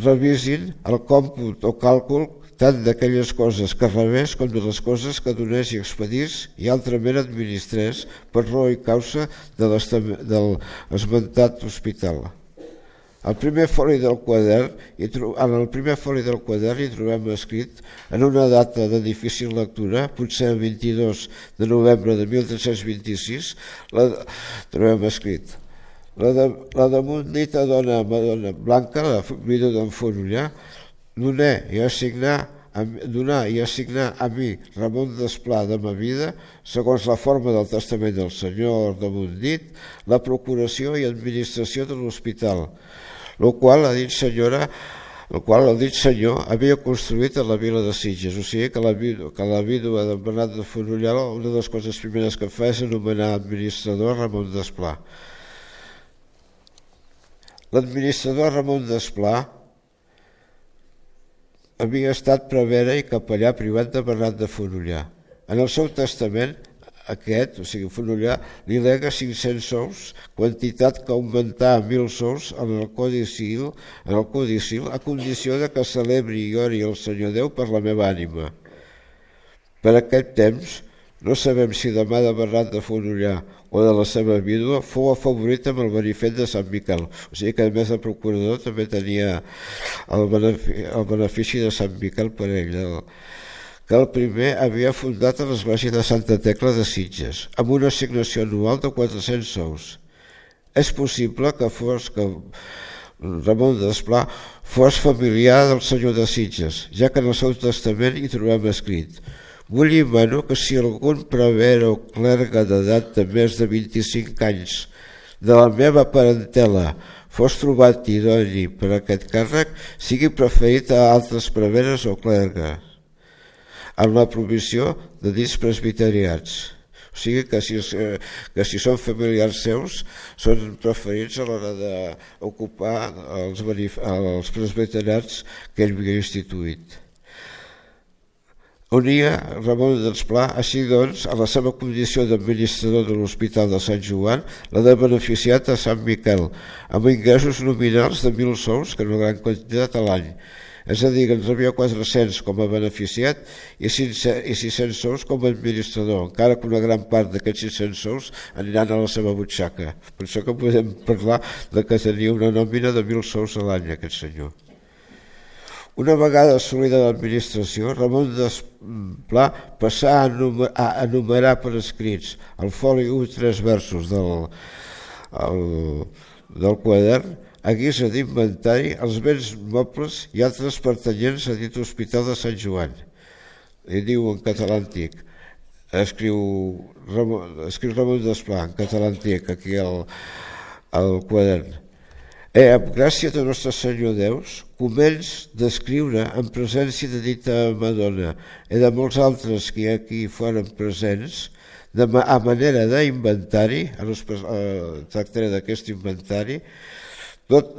Revisin el còmput o càlcul tant d'aquelles coses que rebés com de les coses que donés i expedís i altrament administrés per raó i causa de del esmentat hospital. El primer foli del quadern, en el primer foli del quadern hi trobem escrit en una data de difícil lectura, potser el vint-i-dos de novembre de mil tres-cents vint-i-sis, la, trobem escrit la, de, la damunt dita dona Madonna Blanca, la vídua d'en Fonollà, donà i assignà donar i assignar a mi, Ramon Desplà, de ma vida, segons la forma del testament del senyor damunt dit, la procuració i administració de l'hospital, el qual ha dit senyora el qual el dit senyor havia construït a la vila de Sitges. O sigui que la, que la vídua d'en Bernat de Fonollar, una de les coses primeres que fa és anomenar administrador Ramon Desplà. L'administrador Ramon Desplà havia estat prevere i capellà privat de Bernat de Fonollar. En el seu testament, aquest, o sigui, Fonollar, li lega cinc-cents sous, quantitat que augmentà a mil sous en el Codi Civil, en el Codi Civil, a condició de que celebri i ori el Senyor Déu per la meva ànima. Per aquest temps, no sabem si de mà de Bernat de Fonollar o de la seva vídua fou afavorit amb el benefet de Sant Miquel. O sigui que a més de procurador també tenia el benefici, el benefici de Sant Miquel per ell, el, que el primer havia fundat a l'església de Santa Tecla de Sitges, amb una assignació anual de quatre-cents sous. És possible que fos que Ramon Desplà fos familiar del senyor de Sitges, ja que en el seu testament hi trobem escrit: vull i mano que si algun prevere o clergue d'edat de més de vint-i-cinc anys de la meva parentela fos trobat idoni per aquest càrrec, sigui preferit a altres preveres o clergues, amb la provisió de dits presbiteriats. O sigui que si, que si són familiars seus, són preferits a l'hora d'ocupar els, els presbiteriats que ell havia instituït. Unia Ramon Desplà, així doncs, a la seva condició d'administrador de l'Hospital de Sant Joan, la de beneficiat a Sant Miquel, amb ingressos nominals de mil sous, que és una gran quantitat a l'any. És a dir, que ens havia quatre-cents com a beneficiat i sis-cents sous com a administrador, encara que una gran part d'aquests sis-cents sous aniran a la seva butxaca. Per això que podem parlar de que tenia una nòmina de mil sous a l'any, aquest senyor. Una vegada assolida l'administració, Ramon Desplà passà a enumerar, a enumerar per escrits al foli u tres versos del, el, del quadern, a guisa d'inventari, els béns mobles i altres pertanyents a dit Hospital de Sant Joan. I diu en català antic, escriu Ramon, escriu Ramon Desplà en català antic aquí al, al quadern. E, amb gràcia de Nostre Senyor Déus, començ d'escriure en presència de dita Madonna i de molts altres que aquí foren presents, de, a manera d'inventari, tractaré d'aquest inventari, Tot,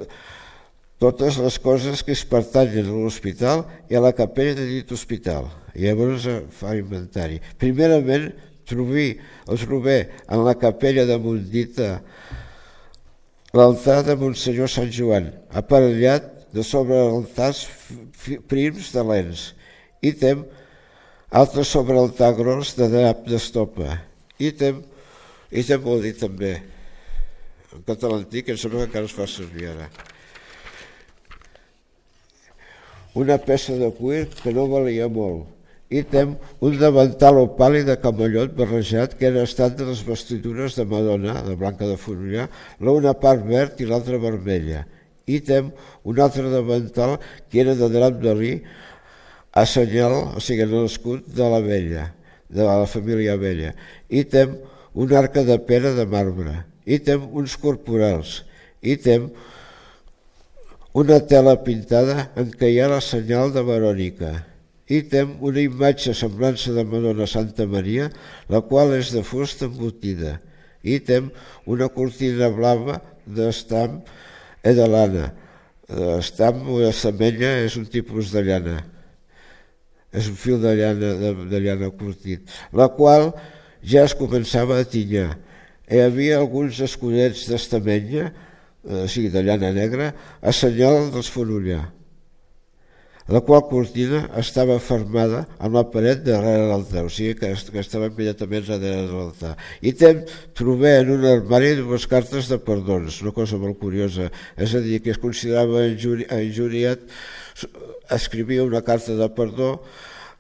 totes les coses que es pertanyen a l'hospital i a la capella de dit hospital. I llavors fa inventari. Primerament, trobí, el trobé en la capella de Montdita l'altar de Monsenyor Sant Joan, aparellat de sobre altars prims de lents, i tem altres sobre altar gros de drap d'estopa. I tem, i tem vol dir també, en català antic, em sembla que encara es fa servir ara. Una peça de cuir que no valia molt, i tem un davantal o pàl·lid de camallot barrejat que era estat de les vestidures de Madonna, de Blanca de Fonollar, l'una part verd i l'altra vermella. I tem un altre davantal que era de drap de li a senyal, o sigui, en l'escut de la vella, de la família vella. I tem una arca de pera de marbre. I tem uns corporals, i tem una tela pintada en què hi ha la senyal de Verònica, i tem una imatge semblança de Madonna Santa Maria, la qual és de fusta embotida, i tem una cortina blava d'estam i de lana. Estam o estamenya és un tipus de llana, és un fil de llana, de, de llana curtit, la qual ja es començava a tinyar. Hi havia alguns escudets d'estamenya, o sigui, de llana negra, a senyal dels Fonollar. La qual cortina estava fermada amb la paret darrere l'altar, o sigui que estava immediatament darrere de l'altar. I tem, trobé en un armari dues cartes de perdons, una cosa molt curiosa, és a dir, que es considerava injuriat, escrivia una carta de perdó,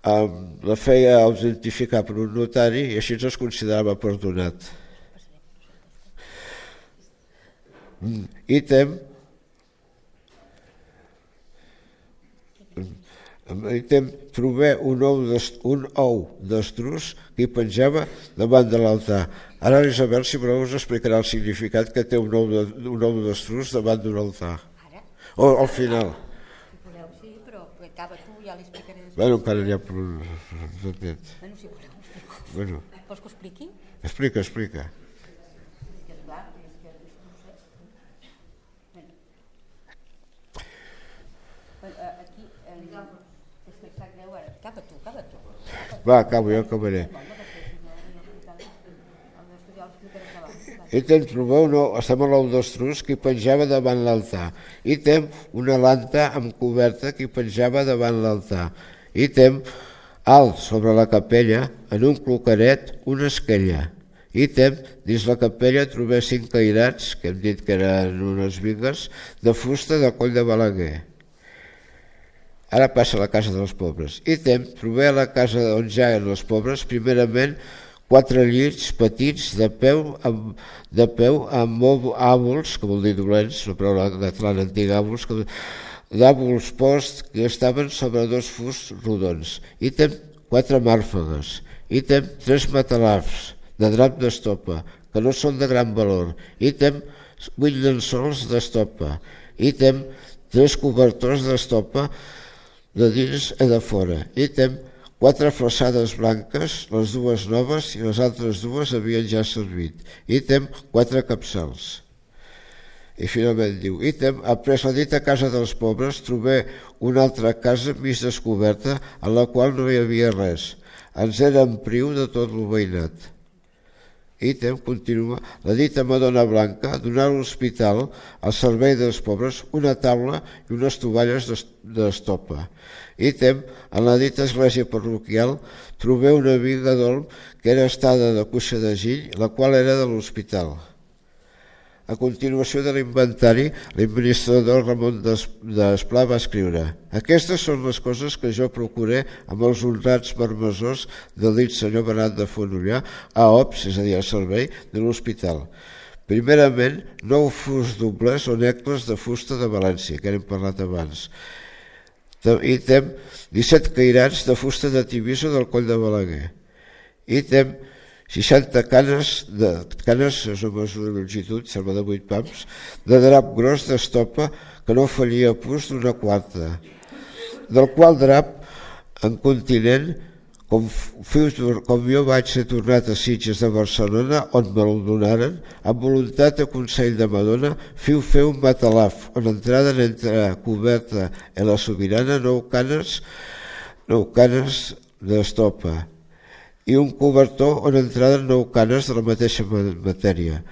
la feia autentificar per un notari i així es considerava perdonat. I tem Ítem, trobé un ou, un ou d'estruç que hi penjava davant de l'altar. Ara l'Isabel, si voleu, us explicarà el significat que té un ou d'estruç davant d'un altar. O al final. Si voleu, sí, però acaba tu, ja l'explicaré després. Bueno, encara n'hi ha... Bueno, si voleu, ho explico. Bueno. Vols que ho expliqui? Explica, explica. És que és clar, és que no sé. Bueno, aquí... És que sap greu ara. Acaba tu, acaba tu. Va, acabo, jo acabaré. I tem trobar un ou, estem a l'ou d'estruç que hi penjava davant l'altar. I tem una lanta amb coberta que hi penjava davant l'altar. I tem alt sobre la capella, en un cloqueret, una esquella. I tem, dins la capella trobé cinc cairats, que hem dit que eren unes bigues, de fusta de Coll de Balaguer. Ara passa a la casa dels pobres. I tem, trobé a la casa on ja eren els pobres, primerament, quatre llits petits de peu amb, de peu amb àbols, que vol dir dolents, la paraula catalana antiga, àbols, d'àbols post que estaven sobre dos fusts rodons. I tem quatre màrfegues. I tem tres matalafs de drap d'estopa, que no són de gran valor. I tem vuit llençols d'estopa. I tem tres cobertors d'estopa de dins i de fora. I tem quatre flassades blanques, les dues noves i les altres dues havien ja servit. Ítem, quatre capçals. I finalment diu, ítem, après la dita casa dels pobres, trobé una altra casa mig descoberta en la qual no hi havia res. Ens era en priu de tot el veïnat. Ítem, continua, la dita Madonna Blanca donà a l'hospital al servei dels pobres una taula i unes tovalles d'estopa. Ítem, en la dita església parroquial, trobé una biga d'olm que era estada de cuixa de gill, la qual era de l'hospital. A continuació de l'inventari, l'administrador Ramon d'Esplà va escriure: aquestes són les coses que jo procuré amb els honrats marmessors del dit senyor Bernat de Fonollà a Ops, és a dir, al servei de l'hospital. Primerament, nou fusts dobles o necles de fusta de València, que hem parlat abans. Ítem, disset cairats de fusta de Tivissa del Coll de Balaguer. Ítem, seixanta canes, de, canes és una mesura de longitud, sembla de vuit pams, de drap gros d'estopa que no fallia pus d'una quarta, del qual drap en continent, com, com jo vaig ser tornat a Sitges de Barcelona, on me'l donaren, amb voluntat de consell de Madonna, fiu fer un matalaf, on entraden entre coberta i la sobirana nou canes, nou canes d'estopa, i un cobertor on entraden nou canes de la mateixa matèria.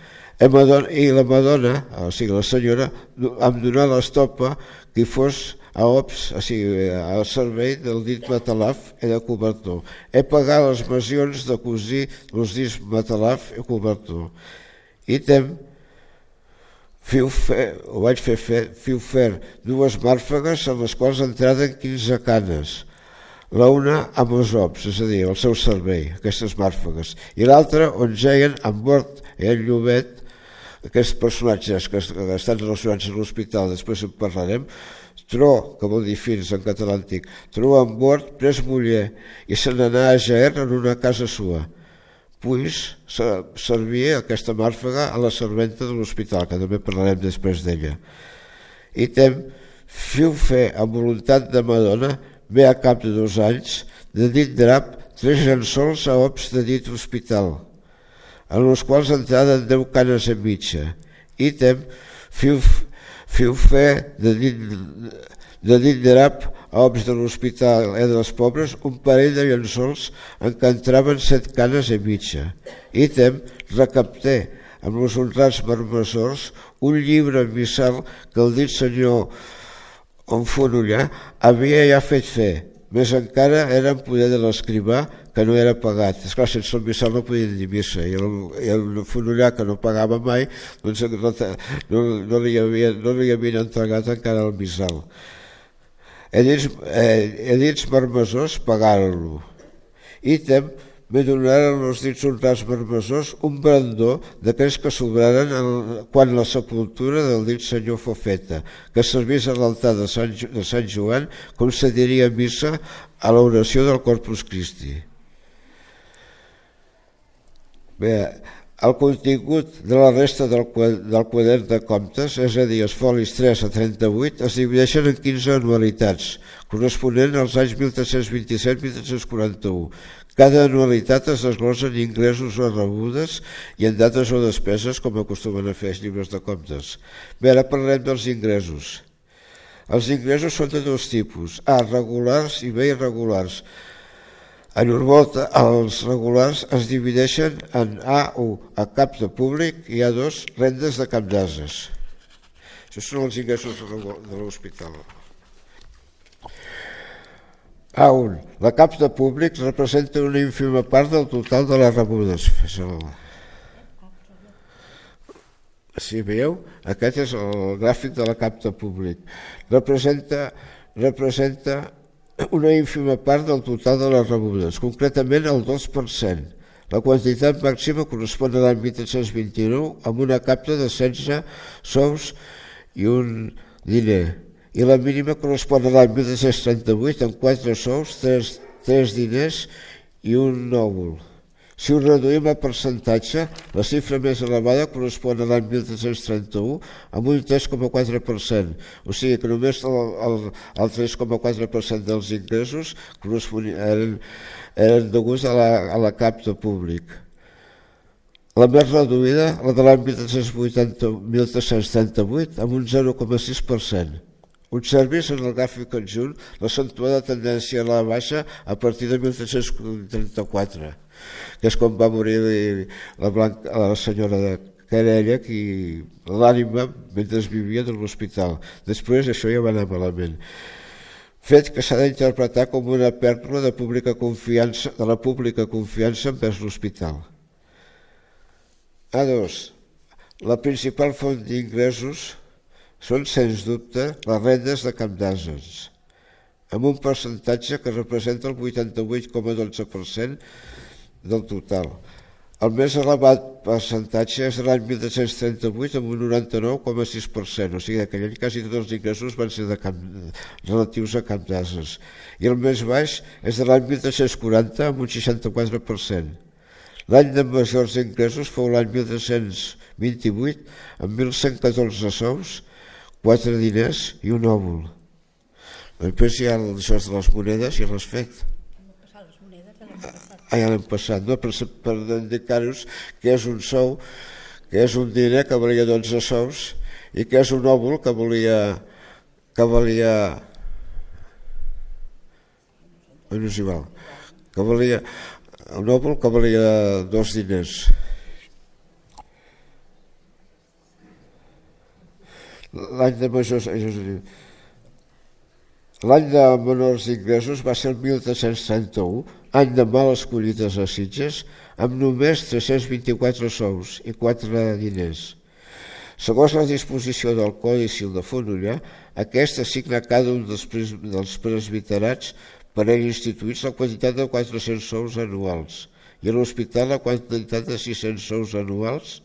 I, Madonna, i la Madonna, o sigui la senyora, em donà l'estopa que fos a Ops, o sigui, al servei del dit matalaf i de cobertor. He pagat les masions de cosir els dits matalaf i cobertor. Ítem, fiu fer, ho vaig fer, fer, fiu fer dues màrfegues en les quals entraden quinze canes, la una amb els ops, és a dir, el seu servei, aquestes màrfegues, i l'altra on geien en bord i en Llobet, aquests personatges que estan relacionats a l'hospital, després en parlarem, Tro, que vol dir fins en català antic, Tro en bord pres muller i se n'anà a Jaer en una casa sua. Puis servia aquesta màrfega a la serventa de l'hospital, que també parlarem després d'ella. Ítem, fiu fer amb voluntat de Madonna, ve a cap de dos anys, de dit drap, tres llençols a Ops de dit hospital, en els quals entraden deu canes en mitja. Ítem, fiu Fiu fer de dit, de dit drap a Ops de l'hospital i dels pobres un parell de llençols en què entraven set canes i mitja. Ítem, recapté amb els honrats marmessors un llibre missal que el dit senyor Fonollà havia ja fet fer, més encara era en poder de l'escrivà que no era pagat. Esclar, sense el missal no podien dir missa, i el, i el Fonollà, que no pagava mai, doncs no, no, li havia, no li havien entregat encara el missal. Edits, eh, edits marmessors pagaren-lo. Ítem, me donaren els dits honrats marmessors un brandó d'aquells que sobraren quan la sepultura del dit senyor fou feta, que servís a l'altar de Sant, de Sant Joan com se diria a missa a l'oració del Corpus Christi. Bé, el contingut de la resta del, del quadern de comptes, és a dir, els folis tres a trenta-vuit, es divideixen en quinze anualitats, corresponent als anys mil tres-cents vint-i-set a mil tres-cents quaranta-u. Cada anualitat es desglossa en ingressos o rebudes i en dates o despeses, com acostumen a fer els llibres de comptes. Bé, ara parlem dels ingressos. Els ingressos són de dos tipus, A, regulars i B, irregulars. En Urvolta, els regulars es divideixen en A u, a cap de públic, i A dos, rendes de cap d'ases. Això són els ingressos de l'hospital. A un, la cap de públic representa una ínfima part del total de les rebudes. Si veieu, aquest és el gràfic de la cap de públic. Representa, representa una ínfima part del total de les rebudes, concretament el dos per cent. La quantitat màxima correspon a l'any mil tres-cents vint-i-nou amb una capta de setze sous i un diner, i la mínima correspon a l'any mil tres-cents trenta-vuit amb quatre sous, tres, tres diners i un òvul. Si ho reduïm a percentatge, la xifra més elevada correspon a l'any mil tres-cents trenta-u amb un tres coma quatre per cent, o sigui que només el, el, el tres coma quatre per cent dels ingressos eren, eren deguts a la, a la cap de públic. La més reduïda, la de l'any mil tres-cents trenta-vuit, amb un zero coma sis per cent. Observis en el gràfic conjunt l'accentuada tendència a la baixa a partir de mil tres-cents trenta-quatre, que és quan va morir la, Blanca, la senyora de Carella, qui l'ànima mentre vivia de l'hospital. Després això ja va anar malament. Fet que s'ha d'interpretar com una pèrdua de, pública confiança, de la pública confiança envers l'hospital. A dos, la principal font d'ingressos són, sens dubte, les rendes de cap d'ases, amb un percentatge que representa el vuitanta-vuit coma dotze per cent del total. El més elevat percentatge és l'any mil tres-cents trenta-vuit amb un noranta-nou coma sis per cent, o sigui, aquell any quasi tots els ingressos van ser de cap, relatius a cap d'ases. I el més baix és de l'any mil tres-cents quaranta amb un seixanta-quatre per cent. L'any de majors ingressos fou l'any mil tres-cents vint-i-vuit amb mil cent catorze sous, quatre diners i un òvul. Després hi ha això de les monedes i l'has fet. Ah, ja l'hem passat, no? Per, per indicar-vos que és un sou, que és un diner que valia dotze sous i que és un òvul que valia que valia no és igual, que valia un òvul que valia dos diners. L'any de majors l'any de menors ingressos va ser el mil tres-cents trenta-u, any de males collites a Sitges, amb només tres-cents vint-i-quatre sous i quatre diners. Segons la disposició del Codi Civil de Fonollar, aquest assigna a cada un dels, dels presbiterats per ell instituïts la quantitat de quatre-cents sous anuals i a l'hospital la quantitat de sis-cents sous anuals,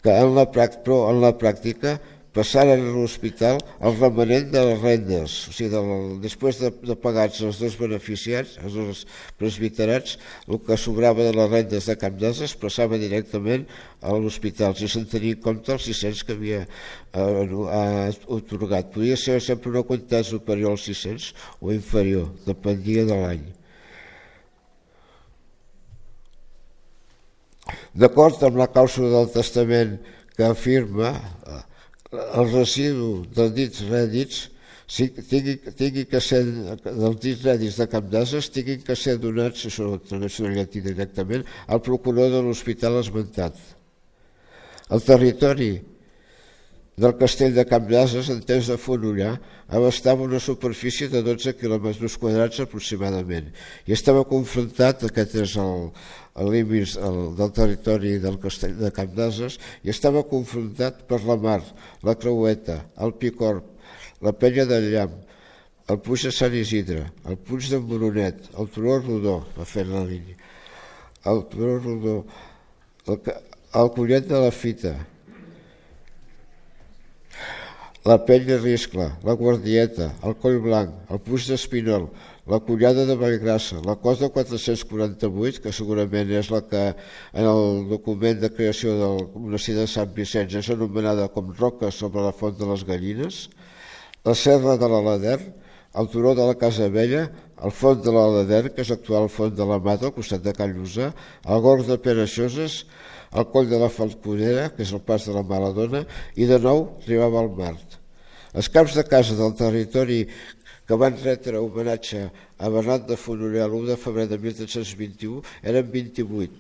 que en la, però en la pràctica passaren a l'hospital el remanent de les rendes, o sigui, del, després de, de pagats els dos beneficiats, els dos presbiterats, el que sobrava de les rendes de cap d'ases passava directament a l'hospital, si se'n tenia en compte els sis-cents que havia eh, atorgat. Podia ser sempre una quantitat superior als sis-cents o inferior, dependia de l'any. D'acord amb la clàusula del testament que afirma el residu dels dits rèdits tingui, tingui que ser dels dits rèdits de cap d'ases tinguin que ser donats, això ho tradueixo en llatí directament, al procurador de l'hospital esmentat. El territori del castell de Cap d'Ases, en temps de Fonollar, abastava una superfície de dotze quilòmetres quadrats aproximadament i estava confrontat, aquest és el, el límit del territori del castell de Cap d'Ases, i estava confrontat per la mar, la Creueta, el Picorb, la Penya del Llamp, el Puig de Sant Isidre, el Puig d'en Moronet, el Turó Rodó, va fer la línia, el turó rodó, el, el collet de la fita, la pell de riscla, la guardieta, el coll blanc, el puig d'espinol, la collada de Vallgrassa, la cos de quatre-cents quaranta-vuit, que segurament és la que en el document de creació del monestir de Sant Vicenç és anomenada com roca sobre la font de les Gallines, la serra de l'Aladern, el turó de la Casa Vella, el font de l'Aladern, que és l'actual font de la Mata, al costat de Can Llusà, el gorg de Pereixoses, el coll de la Falconera, que és el pas de la Maladona, i de nou arribava al Mart. Els caps de casa del territori que van retre homenatge a Bernat de Fonollar l'u de febrer de mil tres-cents vint-i-u eren vint-i-vuit,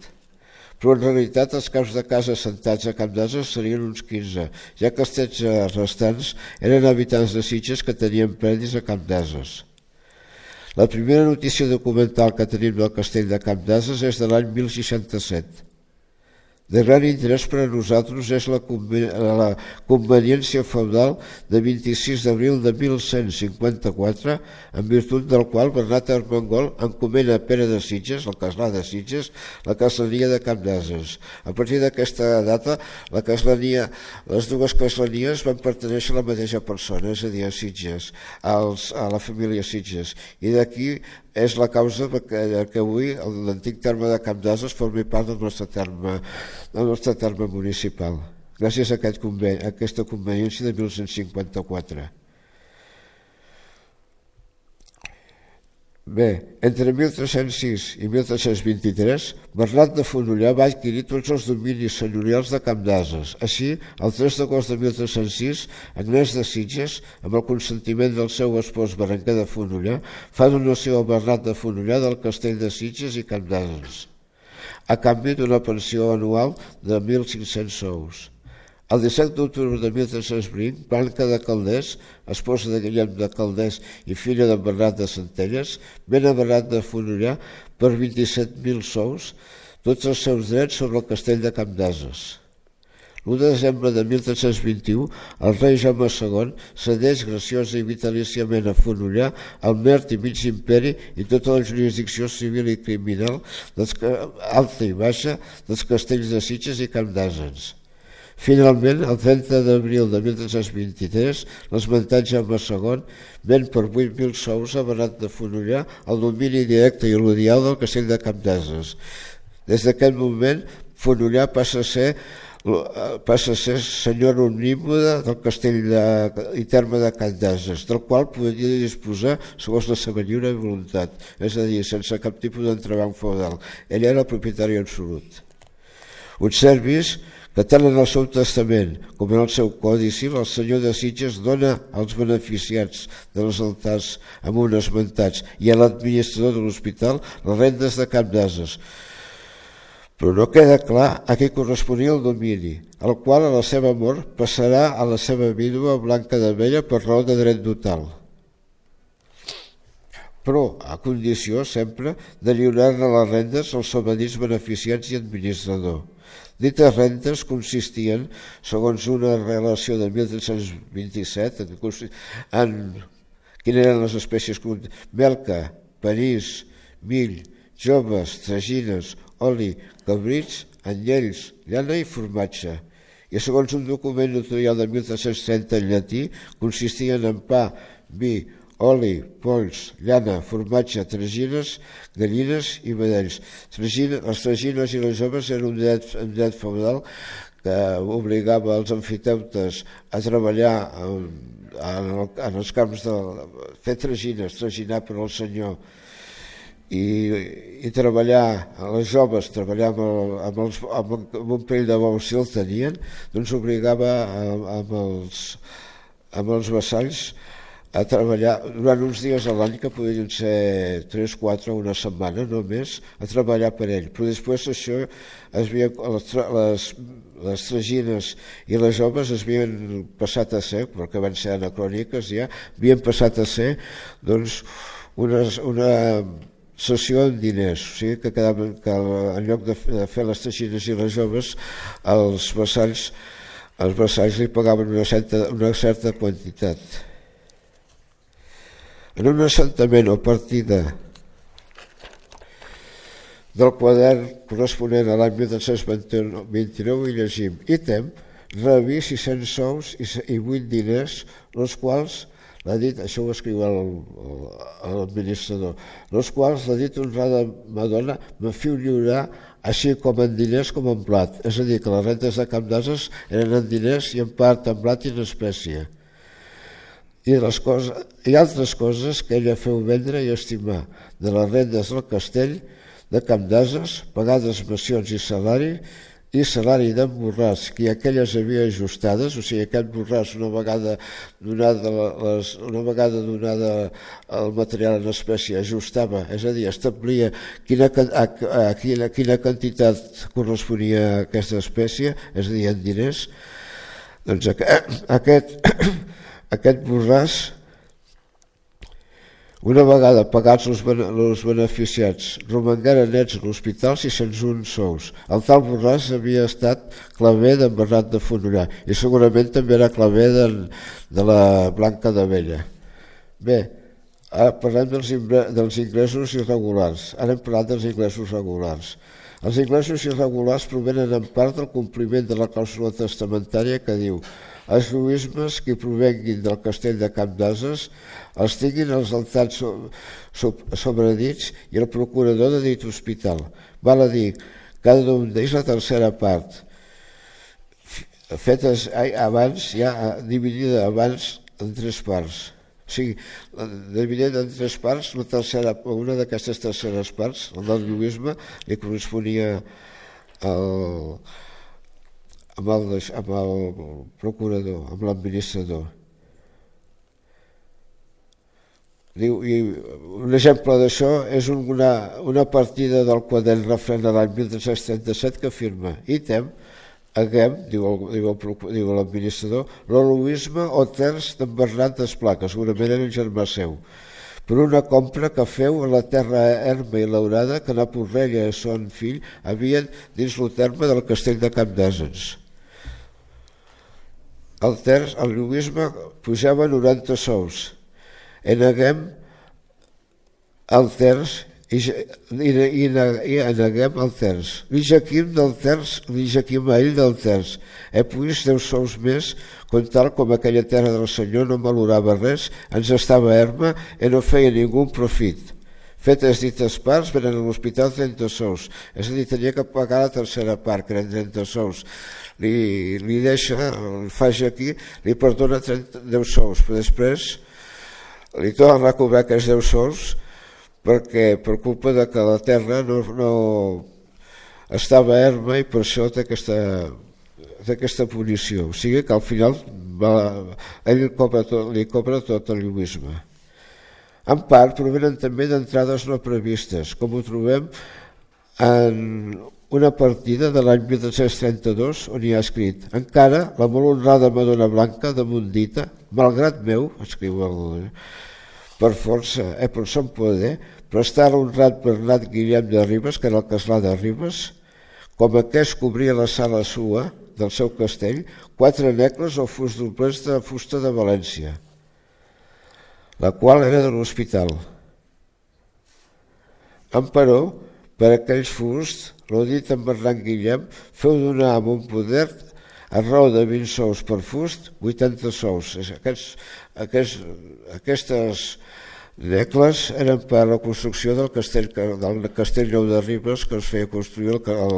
però en realitat els caps de casa assentats a Camp d'Ases serien uns quinze, ja que els tretze restants eren habitants de Sitges que tenien predis a Camp d'Ases. La primera notícia documental que tenim del castell de Camp d'Ases és de l'any mil seixanta-set. De gran interès per a nosaltres és la conveniència feudal de vint-i-sis d'abril de mil cent cinquanta-quatre, en virtut del qual Bernat Armengol encomena a Pere de Sitges, el castlà de Sitges, la castlania de Camp d'Ases. A partir d'aquesta data, la castlania, les dues caslanies van pertenèixer a la mateixa persona, és a dir, a Sitges, als, a la família Sitges, i d'aquí és la causa que, que avui l'antic terme de Camp d'Ases formi part del nostre terme, del nostre terme municipal, gràcies a, aquest conveni, a aquesta conveniència de mil cent cinquanta-quatre. Bé, entre mil tres-cents sis i mil tres-cents vint-i-tres, Bernat de Fonollar va adquirir tots els dominis senyorials de Camp d'Ases. Així, el tres d'agost de mil tres-cents sis, Agnès de Sitges, amb el consentiment del seu espòs Berenguer de Fonollar, fa donació a Bernat de Fonollar del castell de Sitges i Camp d'Ases, a canvi d'una pensió anual de mil cinc-cents sous. El disset d'octubre de mil tres-cents vint, Blanca de Calders, esposa de Guillem de Calders i filla de Bernat de Centelles, ven a Bernat de Fonollar per vint-i-set mil sous tots els seus drets sobre el castell de Camp d'Ases. l'u de desembre de mil tres-cents vint-i-u, el rei Jaume segon cedeix graciosa i vitalíciament a Fonollar el Mert i Mig Imperi i tota la jurisdicció civil i criminal alta i baixa dels castells de Sitges i Camp d'Ases. Finalment, el trenta d'abril de mil tres-cents vint-i-tres, l'esmentat Jaume segon ven per vuit mil sous a Bernat de Fonollar el domini directe i odial del castell de Camp d'Ases. Des d'aquest moment, Fonollar passa a ser passa a ser senyor omnímode del castell de, i terme de Camp d'Ases, del qual podia disposar segons la seva lliure voluntat, és a dir, sense cap tipus d'entrebanc feudal. Ell era el propietari absolut. Observis que tant en el seu testament com en el seu còdici, el senyor de Sitges dona als beneficiats dels altars amb uns esmentats i a l'administrador de l'hospital les rendes de Camp d'Ases. Però no queda clar a què corresponia el domini, el qual a la seva mort passarà a la seva vídua Blanca de Vella per raó de dret total, però a condició sempre de lliurar-ne les rendes als sobradits beneficiats i administrador. Dites rendes consistien, segons una relació de mil tres-cents vint-i-set, en, en quines eren les espècies melca, panís, mill, joves, tragines, oli, cabrits, anyells, llana i formatge. I segons un document notarial de mil tres-cents trenta en llatí, consistien en pa, vi, oli, polls, llana, formatge, tragines, gallines i vedells. Les tragines i les joves eren un dret, un dret feudal que obligava els amfiteutes a treballar en, en els camps de fer tragines, traginar per al senyor, i, i treballar, les joves treballar amb, el, amb, els, amb, amb un pell de bou si el tenien, doncs obligava amb els, amb els vassalls a treballar durant uns dies a l'any, que podrien ser tres, quatre o una setmana només, a treballar per ell. Però després això, es havia, les, les, les tragines i les joves es havien passat a ser, perquè van ser anacròniques ja, havien passat a ser doncs, una, una sessió en diners, o sigui que, quedaven, que en lloc de, de fer les tragines i les joves, els vassalls, els vassalls li pagaven una certa, una certa quantitat. En un assentament o partida del quadern corresponent a l'any mil tres-cents vint-i-nou i llegim: ítem, rebí sis-cents sous i vuit diners, els quals, l'ha dit, això ho escriu l'administrador, els quals l'ha dit honrada Madonna me fiu lliurar així com en diners com en blat. És a dir, que les rentes de Camp d'Ases eren en diners i en part en blat i en espècie. I, les coses, i altres coses que ella feu vendre i estimar de les rendes del castell de Camp d'Ases, pagades mencions i salari, i salari d'en Borràs, que aquelles havia ajustades, o sigui, aquest Borràs una vegada donada, les, una vegada donada el material en espècie ajustava, és a dir, establia quina, a, a, quina, quina quantitat corresponia a aquesta espècie, és a dir, en diners. Doncs aquest, aquest Borràs, una vegada pagats els beneficiats, romangueren nets a l'hospital sis-cents un sous. El tal Borràs havia estat claver d'en Bernat de Fonollar i segurament també era claver de, de la Blanca d'Abella. Bé, ara parlem dels, dels ingressos irregulars. Ara hem parlat dels ingressos regulars. Els ingressos irregulars provenen en part del compliment de la clàusula testamentària que diu: els lluïsmes que provenguin del castell de Camp d'Ases els tinguin els altats sobredits i el procurador de dit hospital. Val a dir, cada un d'ells la tercera part, fetes abans, ja dividida abans en tres parts. O sigui, dividida en tres parts, la tercera, una d'aquestes terceres parts, el del lluïsme, li corresponia al... Amb el, amb el procurador, amb l'administrador. Diu, i un exemple d'això és una, una partida del quadern referent a l'any mil tres-cents trenta-set que afirma: ítem, haguem, diu, el, diu, el, diu l'administrador, l'Aloisme o terç d'en Bernat d'Esplà, que segurament era el germà seu, per una compra que feu a la terra erma i laurada que na Porrella i son fill havien dins el terme del castell de Camp d'Ases. El terç, el lluïsme, pujava noranta sous. En haguem el terç i, i, i, i en haguem el terç. Li jaquim del terç, li jaquim a ell del terç. He puis deu sous més, com tal com aquella terra del senyor no valorava res, ens estava erma i no feia ningú profit. Fetes dites parts, venen a l'hospital trenta sous. És a dir, tenia que pagar la tercera part, que eren trenta sous. Li, li deixa, li faig aquí, li perdona trenta, deu sous, però després li torna a cobrar aquests deu sous perquè per culpa de que la terra no, no estava erma i per això té aquesta, té aquesta punició. O sigui que al final va, ell li cobra tot, li cobra tot el lluïsme. En part provenen també d'entrades no previstes, com ho trobem en una partida de l'any mil tres-cents trenta-dos on hi ha escrit: encara la molt honrada Madonna Blanca de Mundita, malgrat meu, escriu el, per força, eh, per son poder, prestar l'honrat Bernat Guillem de Ribes, que era el castlà de Ribes, com aquest cobria la sala sua del seu castell, quatre necles o fust doblers de fusta de València, la qual era de l'hospital. Emperò, per aquells fusts, l'ho dit en Bernat Guillem, feu donar amb un poder a raó de vint sous per fust, vuitanta sous. Aquests, aquests, aquestes necles eren per la construcció del castell, del castell nou de Ribes, que es feia construir el, el,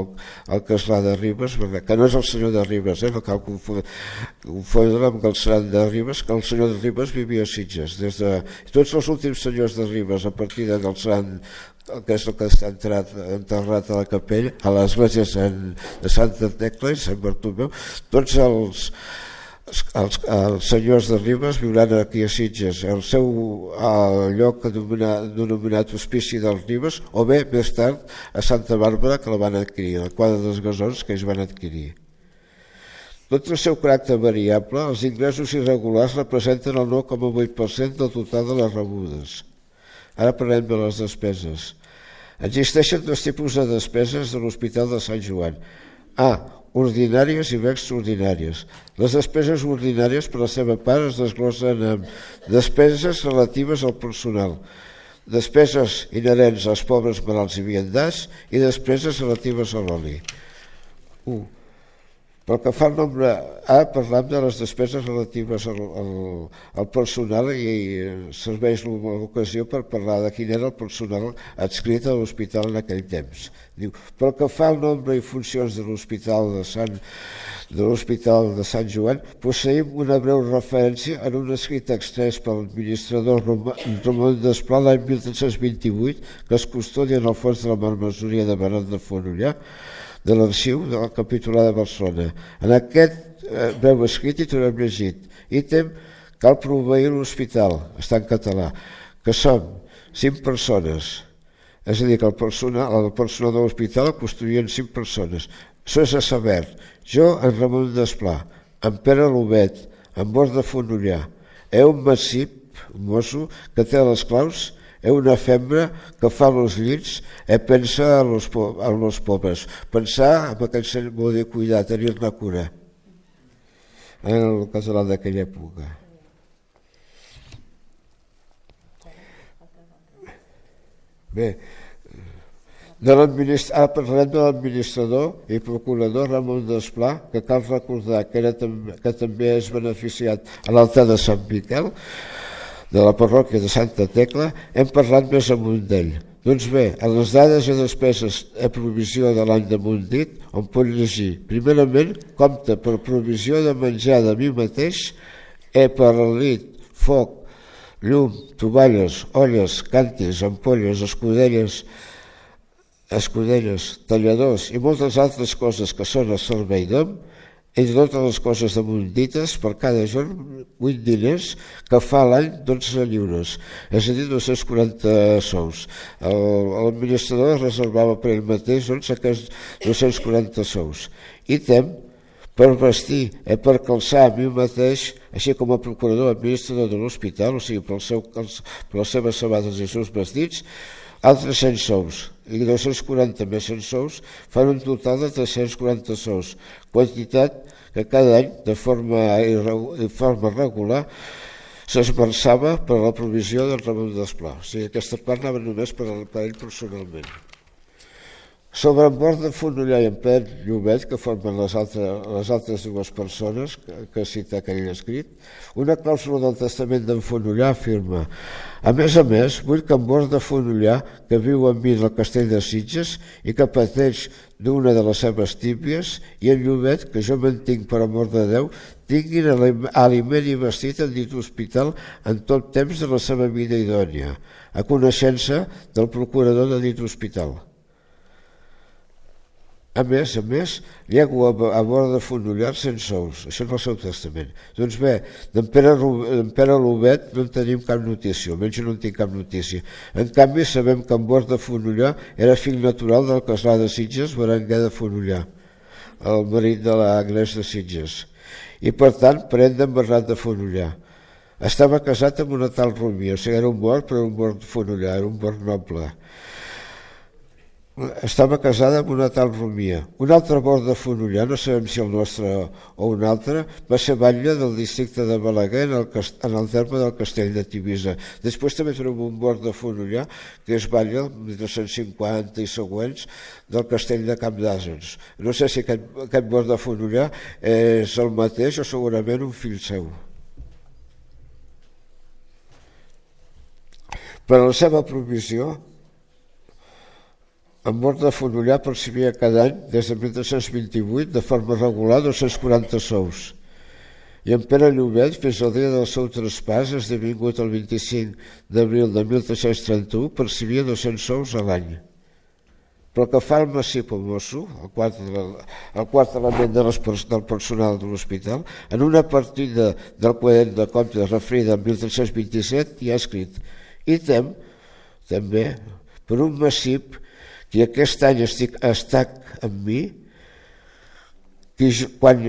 el castlà de Ribes, que no és el senyor de Ribes, eh? No cal confondre amb el senyor de Ribes, que el senyor de Ribes vivia a Sitges. Des de, tots els últims senyors de Ribes, a partir del sant, que és el que està entrat, enterrat a la capella, a l'església de Santa Tecla i Sant Bartomeu, tots els, els, els senyors de Ribes viuran aquí a Sitges, el seu el lloc denominat Hospici dels Ribes, o bé més tard a Santa Bàrbara, que la van adquirir, la quadra dels Gasons que ells van adquirir. Tot el seu caràcter variable, els ingressos irregulars representen el nou coma vuit per cent del total de les rebudes. Ara parlem de les despeses. Existeixen dos tipus de despeses de l'Hospital de Sant Joan. A. Ordinàries i B. Extraordinàries. Les despeses ordinàries, per la seva part, es desglossen en despeses relatives al personal, despeses inherents als pobres malalts i viandants i despeses relatives a l'oli. un. Pel que fa al nombre A, parlam de les despeses relatives al, al, al personal i serveix l'ocasió per parlar de quin era el personal adscrit a l'hospital en aquell temps. Diu, pel que fa al nombre i funcions de l'Hospital de Sant, de l'Hospital de Sant Joan, posseïm una breu referència en un escrit extès pel administrador Ramon Desplà l'any mil tres-cents vint-i-vuit, que es custodia en el fons de la marmessoria de Benet de Fonollà, de l'arxiu de la Capitulada de Barcelona. En aquest eh, breu escrit hi trobem llegit: ítem, cal proveir l'hospital, està en català, que som cinc persones, és a dir, que el personal, el personal de l'hospital el custodien cinc persones. Això és a saber, jo, en Ramon Desplà, en Pere Lobet, en Bord de Fonollà, he un massip, un mosso, que té les claus, he una fembra que fa els llits, he pensa en els, en els pobres. Pensar en aquell sent vol dir cuidar, tenir-ne cura. En el català d'aquella època. Bé, de ah, parlem de l'administrador i procurador Ramon Desplà, que cal recordar que, era, que també és beneficiat a l'altar de Sant Miquel, de la parròquia de Santa Tecla. Hem parlat més amunt d'ell. Doncs bé, a les dades i despeses a provisió de l'any damunt dit, on pot llegir, primerament, compta per provisió de menjar de mi mateix, he per lit, foc, llum, tovalles, olles, càntirs, ampolles, escudelles, escudelles, talladors i moltes altres coses que són a servei d'hom, entre totes les coses damunt dites, per cada jorn vuit diners, que fa l'any dotze lliures, és a dir, dos-cents quaranta sous. L'administrador reservava per ell mateix doncs, aquests dos-cents quaranta sous. I tem, per vestir i per calçar a mi mateix, així com a procurador administrador de l'hospital, o sigui, per, seu, per les seves sabates i els seus vestits, altres cent sous, i dos-cents quaranta més cent sous fan un total de tres-cents quaranta sous, quantitat que cada any, de forma, de forma regular, s'esmerçava per a la provisió del Ramon Desplà. O sigui, aquesta part anava només per, per ell personalment. Sobre en Bord de Fonollà i en Pere Llobet, que formen les altres, les altres dues persones que, que cita aquell escrit, una clàusula del testament d'en Fonollà afirma: a més a més, vull que en Bord de Fonollà, que viu amb mi en el castell de Sitges i que pateix d'una de les seves tíbies, i en Llobet, que jo mantinc per amor de Déu, tinguin aliment i vestit en dit hospital en tot temps de la seva vida idònia, a coneixença del procurador de dit hospital. A més, a més, llego a Bord de Fonollà cent sous, això és el seu testament. Doncs bé, d'en Pere, Pere Lobet no en tenim cap notícia, almenys no en tinc cap notícia. En canvi, sabem que en Bord de Fonollà era fill natural del castlà de Sitges, Berenguer de Fonollà, el marit de l'Agnès de Sitges, i per tant, parent d'en Bernat de Fonollà. Estava casat amb una tal Romia, o sigui, era un bord, però un bord de Fonollà, era un bord noble. Estava casada amb una tal Romia. Un altre bord de Fonollà, no sabem si el nostre o un altre, va ser batlle del districte de Balaguer en el, en el terme del castell de Tivisa. Després també tenim un bord de Fonollà que és batlle, mil tres-cents cinquanta i següents, del castell de Camp d'Àsens. No sé si aquest, aquest bord de Fonollà és el mateix o segurament un fill seu. Per a la seva provisió, en Bord de Fonollà percebia cada any, des de mil tres-cents vint-i-vuit, de forma regular, dos-cents quaranta sous. I en Pere Llobet, fins al dia del seu traspàs, esdevingut el vint-i-cinc d'abril de mil tres-cents trenta-u, percebia dos-cents sous a l'any. Però que fa el massip o mosso, el quart, el quart element de les, del personal de l'hospital, en una partida del quadern de comptes referida en mil tres-cents vint-i-set hi ha escrit: ítem, també, per un massip que aquest any estic, estic amb mi, que jo, quan,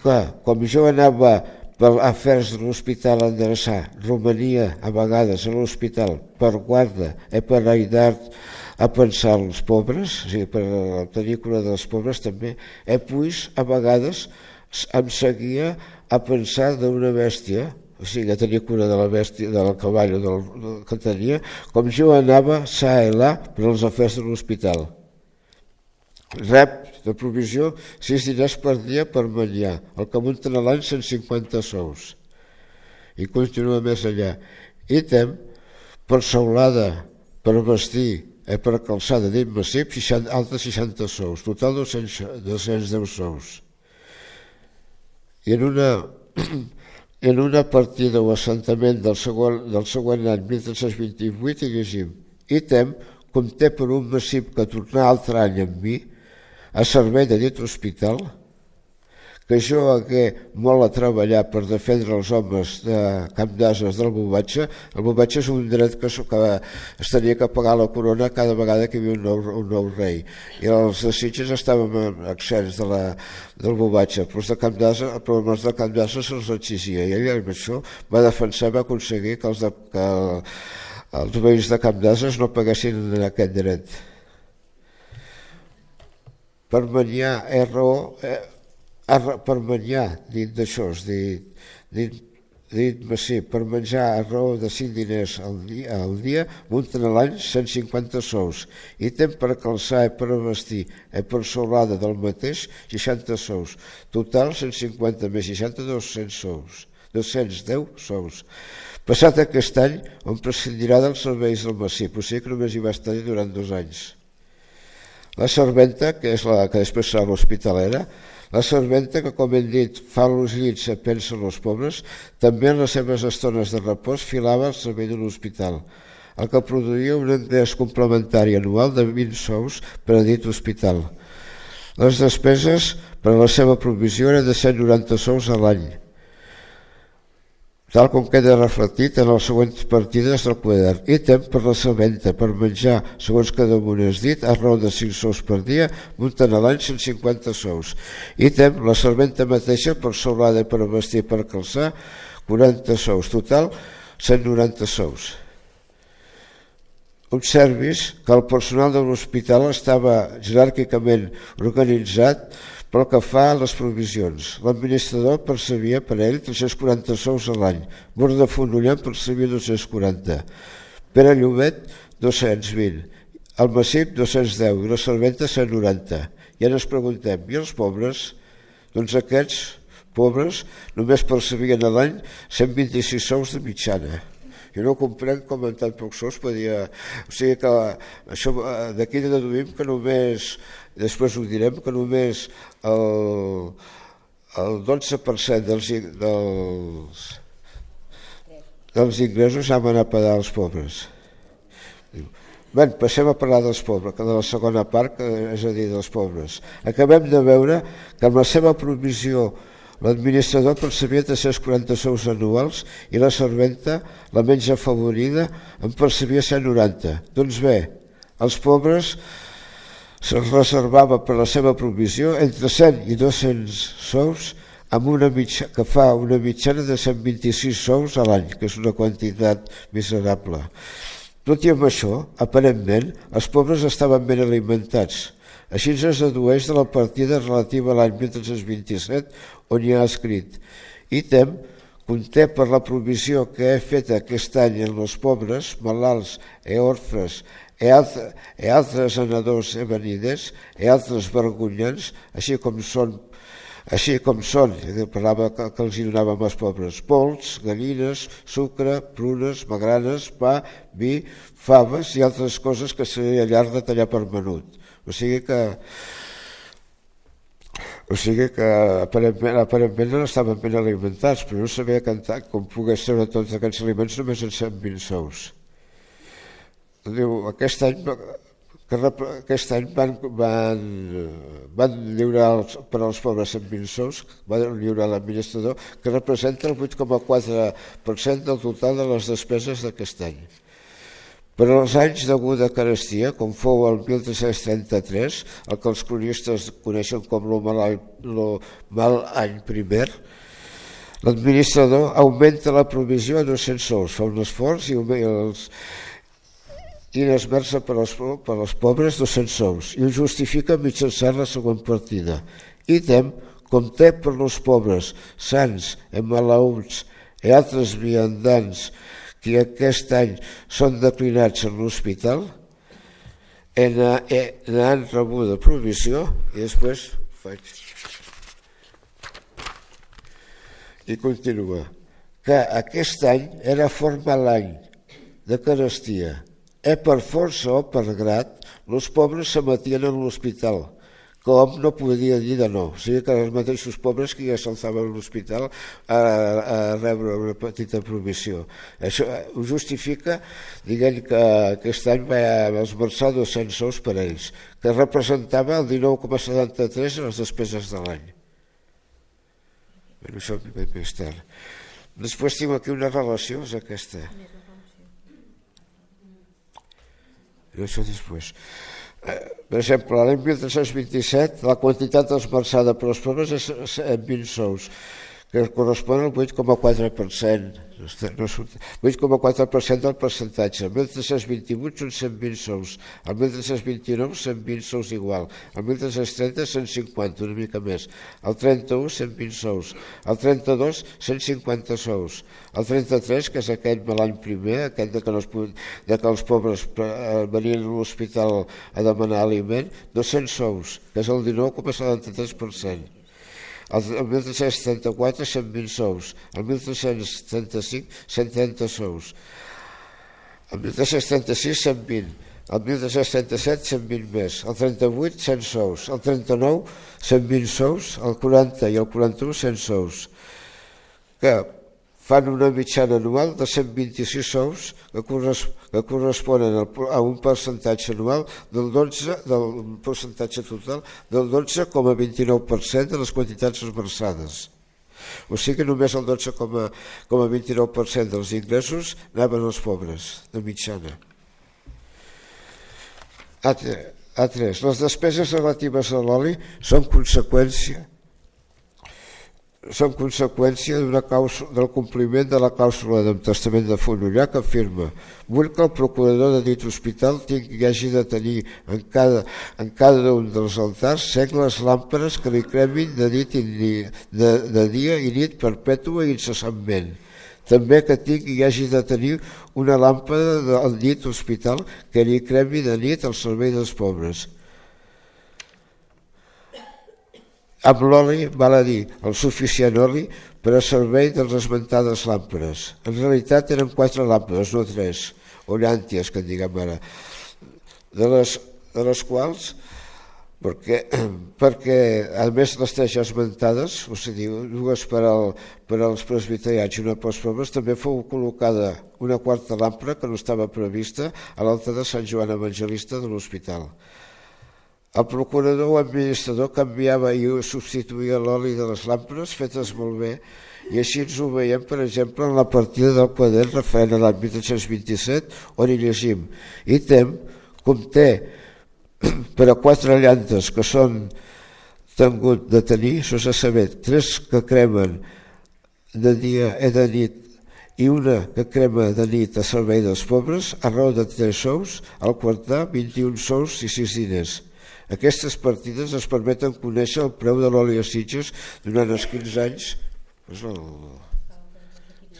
clar, com jo anava per afers de l'hospital a endreçar, romania a vegades a l'hospital per guarda i per ajudar a pensar als pobres, o sigui, per tenir cura dels pobres també, i pues a vegades em seguia a pensar d'una bèstia, o sigui, a tenir cura de la bèstia, del cavall o del, del que tenia, com jo anava sa i là per als afers de l'hospital. Rep de provisió sis diners per dia per menjar, el que munten a l'any cent cinquanta sous. I continua més allà. I tem per saulada, per vestir, eh, per calçada dit massip, altres seixanta sous, total dos-cents deu sous. I en una, en una partida o assentament del següent, del següent any, mil tres-cents vint-i-vuit, hi llegim: Item conté per un massip que tornà altre any amb mi a servei de dit hospital, que jo hagué molt a treballar per defendre els homes de Camp d'Ases del Bovatge. El Bovatge és un dret que, que es tenia que pagar la corona cada vegada que hi havia un nou, un nou rei. I els de Sitges estaven accents de la, del Bovatge, però els de Camp d'Ases, però els de Camp d'Ases se'ls exigia. I ell amb això va defensar, va aconseguir que els, de, que els veïns de Camp d'Ases no paguessin aquest dret. Per menjar R O... Eh, per menjar, dit d'això, dit, dit, dit massip, per menjar a raó de cinc diners al dia, al dia munten a l'any cent cinquanta sous. Ítem per calçar i per vestir i per solada del mateix seixanta sous. Total cent cinquanta més seixanta, dos-cents sous. dos-cents deu sous. Passat aquest any, on prescindirà dels serveis del massip, o sigui que només hi va estar durant dos anys. La serventa, que és la que després serà l'hospitalera, la serventa que, com hem dit, fa els llits a pensa als pobres, també en les seves estones de repòs filava al servei de l'hospital, el que produïa un ingrés complementari anual de vint sous per a dit hospital. Les despeses per a la seva provisió eren de cent noranta sous a l'any, tal com queda reflectit en les següents partides del quadern. Ítem per la serventa, per menjar, segons cada un és dit, a raó de cinc sous per dia, munten a l'any cent cinquanta sous. Ítem, la serventa mateixa, per soulada i per vestir i per calçar, quaranta sous. Total, cent noranta sous. Observis que el personal de l'hospital estava jeràrquicament organitzat pel que fa a les provisions. L'administrador percebia per ell tres-cents quaranta sous a l'any, Mort de Fonollant percebia dos-cents quaranta, Pere Llobet dos-cents vint, el massip dos-cents deu i la serventa cent noranta. I ara ens preguntem, i els pobres? Doncs aquests pobres només percebien a l'any cent vint-i-sis sous de mitjana. Jo no comprenc com en tan pocs sous podia... O sigui que això d'aquí deduïm que només, després ho direm, que només el, el dotze per cent dels, dels, dels ingressos han anat a pagar als pobres. Bé, passem a parlar dels pobres, que de la segona part, que és a dir, dels pobres. Acabem de veure que amb la seva provisió l'administrador percebia tres-cents quaranta sous anuals i la serventa, la menys afavorida, en percebia cent noranta. Doncs bé, els pobres se'ls reservava per la seva provisió entre cent i dos-cents sous, amb una mitja, que fa una mitjana de cent vint-i-sis sous a l'any, que és una quantitat miserable. Tot i amb això, aparentment, els pobres estaven ben alimentats. Així es dedueix de la partida relativa a l'any mil tres-cents vint-i-set, on hi ha escrit: Ítem conté per la provisió que he fet aquest any en els pobres, malalts e orfes e, altre, e altres anadors e venides e altres vergonyants, així com són, així com són, parlava que, que els donàvem als pobres, pols, gallines, sucre, prunes, magranes, pa, vi, faves i altres coses que seria llarg de tallar per menut. O sigui que, o sigui que aparentment, aparentment no estaven ben alimentats, però no sabia cantar com pogués treure tots aquests aliments només en cent vint sous. Diu, aquest any, que aquest any van, van, van lliurar els, per als pobres cent vint sous, van lliurar l'administrador, que representa el vuit coma quatre per cent del total de les despeses d'aquest any. Per als anys d'aguda carestia, com fou el mil tres-cents trenta-tres, el que els cronistes coneixen com el mal, mal any primer, l'administrador augmenta la provisió a dos-cents sous, fa un esforç i, els, i n'esmerça per, per als pobres dos-cents sous i ho justifica mitjançant la següent partida. Ítem, com té per als pobres, sants, emalaüts, i altres viandants que aquest any són declinats en l'hospital n'han rebuda provisió i després faig i continua que aquest any era format l'any de carestia e per força o per grat els pobres s'emetien en l'hospital que hom no podia dir de no, o sigui que els mateixos pobres que ja s'alçaven a l'hospital a, a rebre una petita provisió. Això ho justifica dient que aquest any va esmerçar dos-cents sous per a ells, que representava el dinou coma setanta-tres de les despeses de l'any. Bé, això ve més tard. Després tinc aquí una relació, és aquesta. I això després. Per exemple, l'any mil tres-cents vint-i-set la quantitat esmerçada per les pobres és vint sous, que correspon al vuit coma quatre per cent. vuit coma quatre per cent del percentatge. El mil tres-cents vint-i-vuit són cent vint sous, el mil tres-cents vint-i-nou cent vint sous igual, el mil tres-cents trenta cent cinquanta, una mica més, el trenta-u cent vint sous, el trenta-dos cent cinquanta sous, el trenta-tres, que és aquest de l'any primer, aquest de que, no es, de que els pobres venien a l'hospital a demanar aliment, dos-cents sous, que és el dinou coma setanta-tres per cent. El mil tres-cents trenta-quatre cent vint sous, el mil tres-cents trenta-cinc cent trenta sous, el mil tres-cents trenta-sis cent vint, el mil tres-cents trenta-set cent vint més, el trenta-vuit cent sous, el trenta-nou cent vint sous, el quaranta i el quaranta-u cent sous, que fan una mitjana anual de cent vint-i-sis sous que, corres, que corresponen a un percentatge anual del dotze, del percentatge total del dotze coma vint-i-nou per cent de les quantitats esmerçades. O sigui que només el dotze coma vint-i-nou per cent dels ingressos anaven als pobres, de mitjana. A tres. Les despeses relatives a l'oli són conseqüència són conseqüència d'una causa, del compliment de la clàusula del testament de Fonollar que afirma: vull que el procurador de dit hospital tingui i hagi de tenir en cada, en cada un dels altars segles làmpades que li cremin de, nit i de, de dia i nit perpètua i incessantment. També que tingui i hagi de tenir una làmpada del dit hospital que li cremi de nit al servei dels pobres. Amb l'oli, val a dir, el suficient oli per a servei de les esmentades làmpades. En realitat eren quatre làmpades, no tres, o llànties, que en diguem ara, de les, de les quals, perquè, perquè a més les tres ja esmentades, o sigui, dues per, al, per als presbiterians i una pels pobres, també fou col·locada una quarta làmpada que no estava prevista a l'altar de Sant Joan Evangelista de l'hospital. El procurador o administrador canviava i substituïa l'oli de les làmpades fetes molt bé i així ens ho veiem, per exemple, en la partida del quadern referent a l'any mil tres-cents vint-i-set on hi llegim: ítem conté per a quatre llantes que són tingut de tenir, això s'ha sabut, tres que cremen de dia i de nit i una que crema de nit a servei dels pobres, a raó de tres sous, al quartar vint-i-un sous i sis diners. Aquestes partides es permeten conèixer el preu de l'oli a Sitges durant els quinze anys.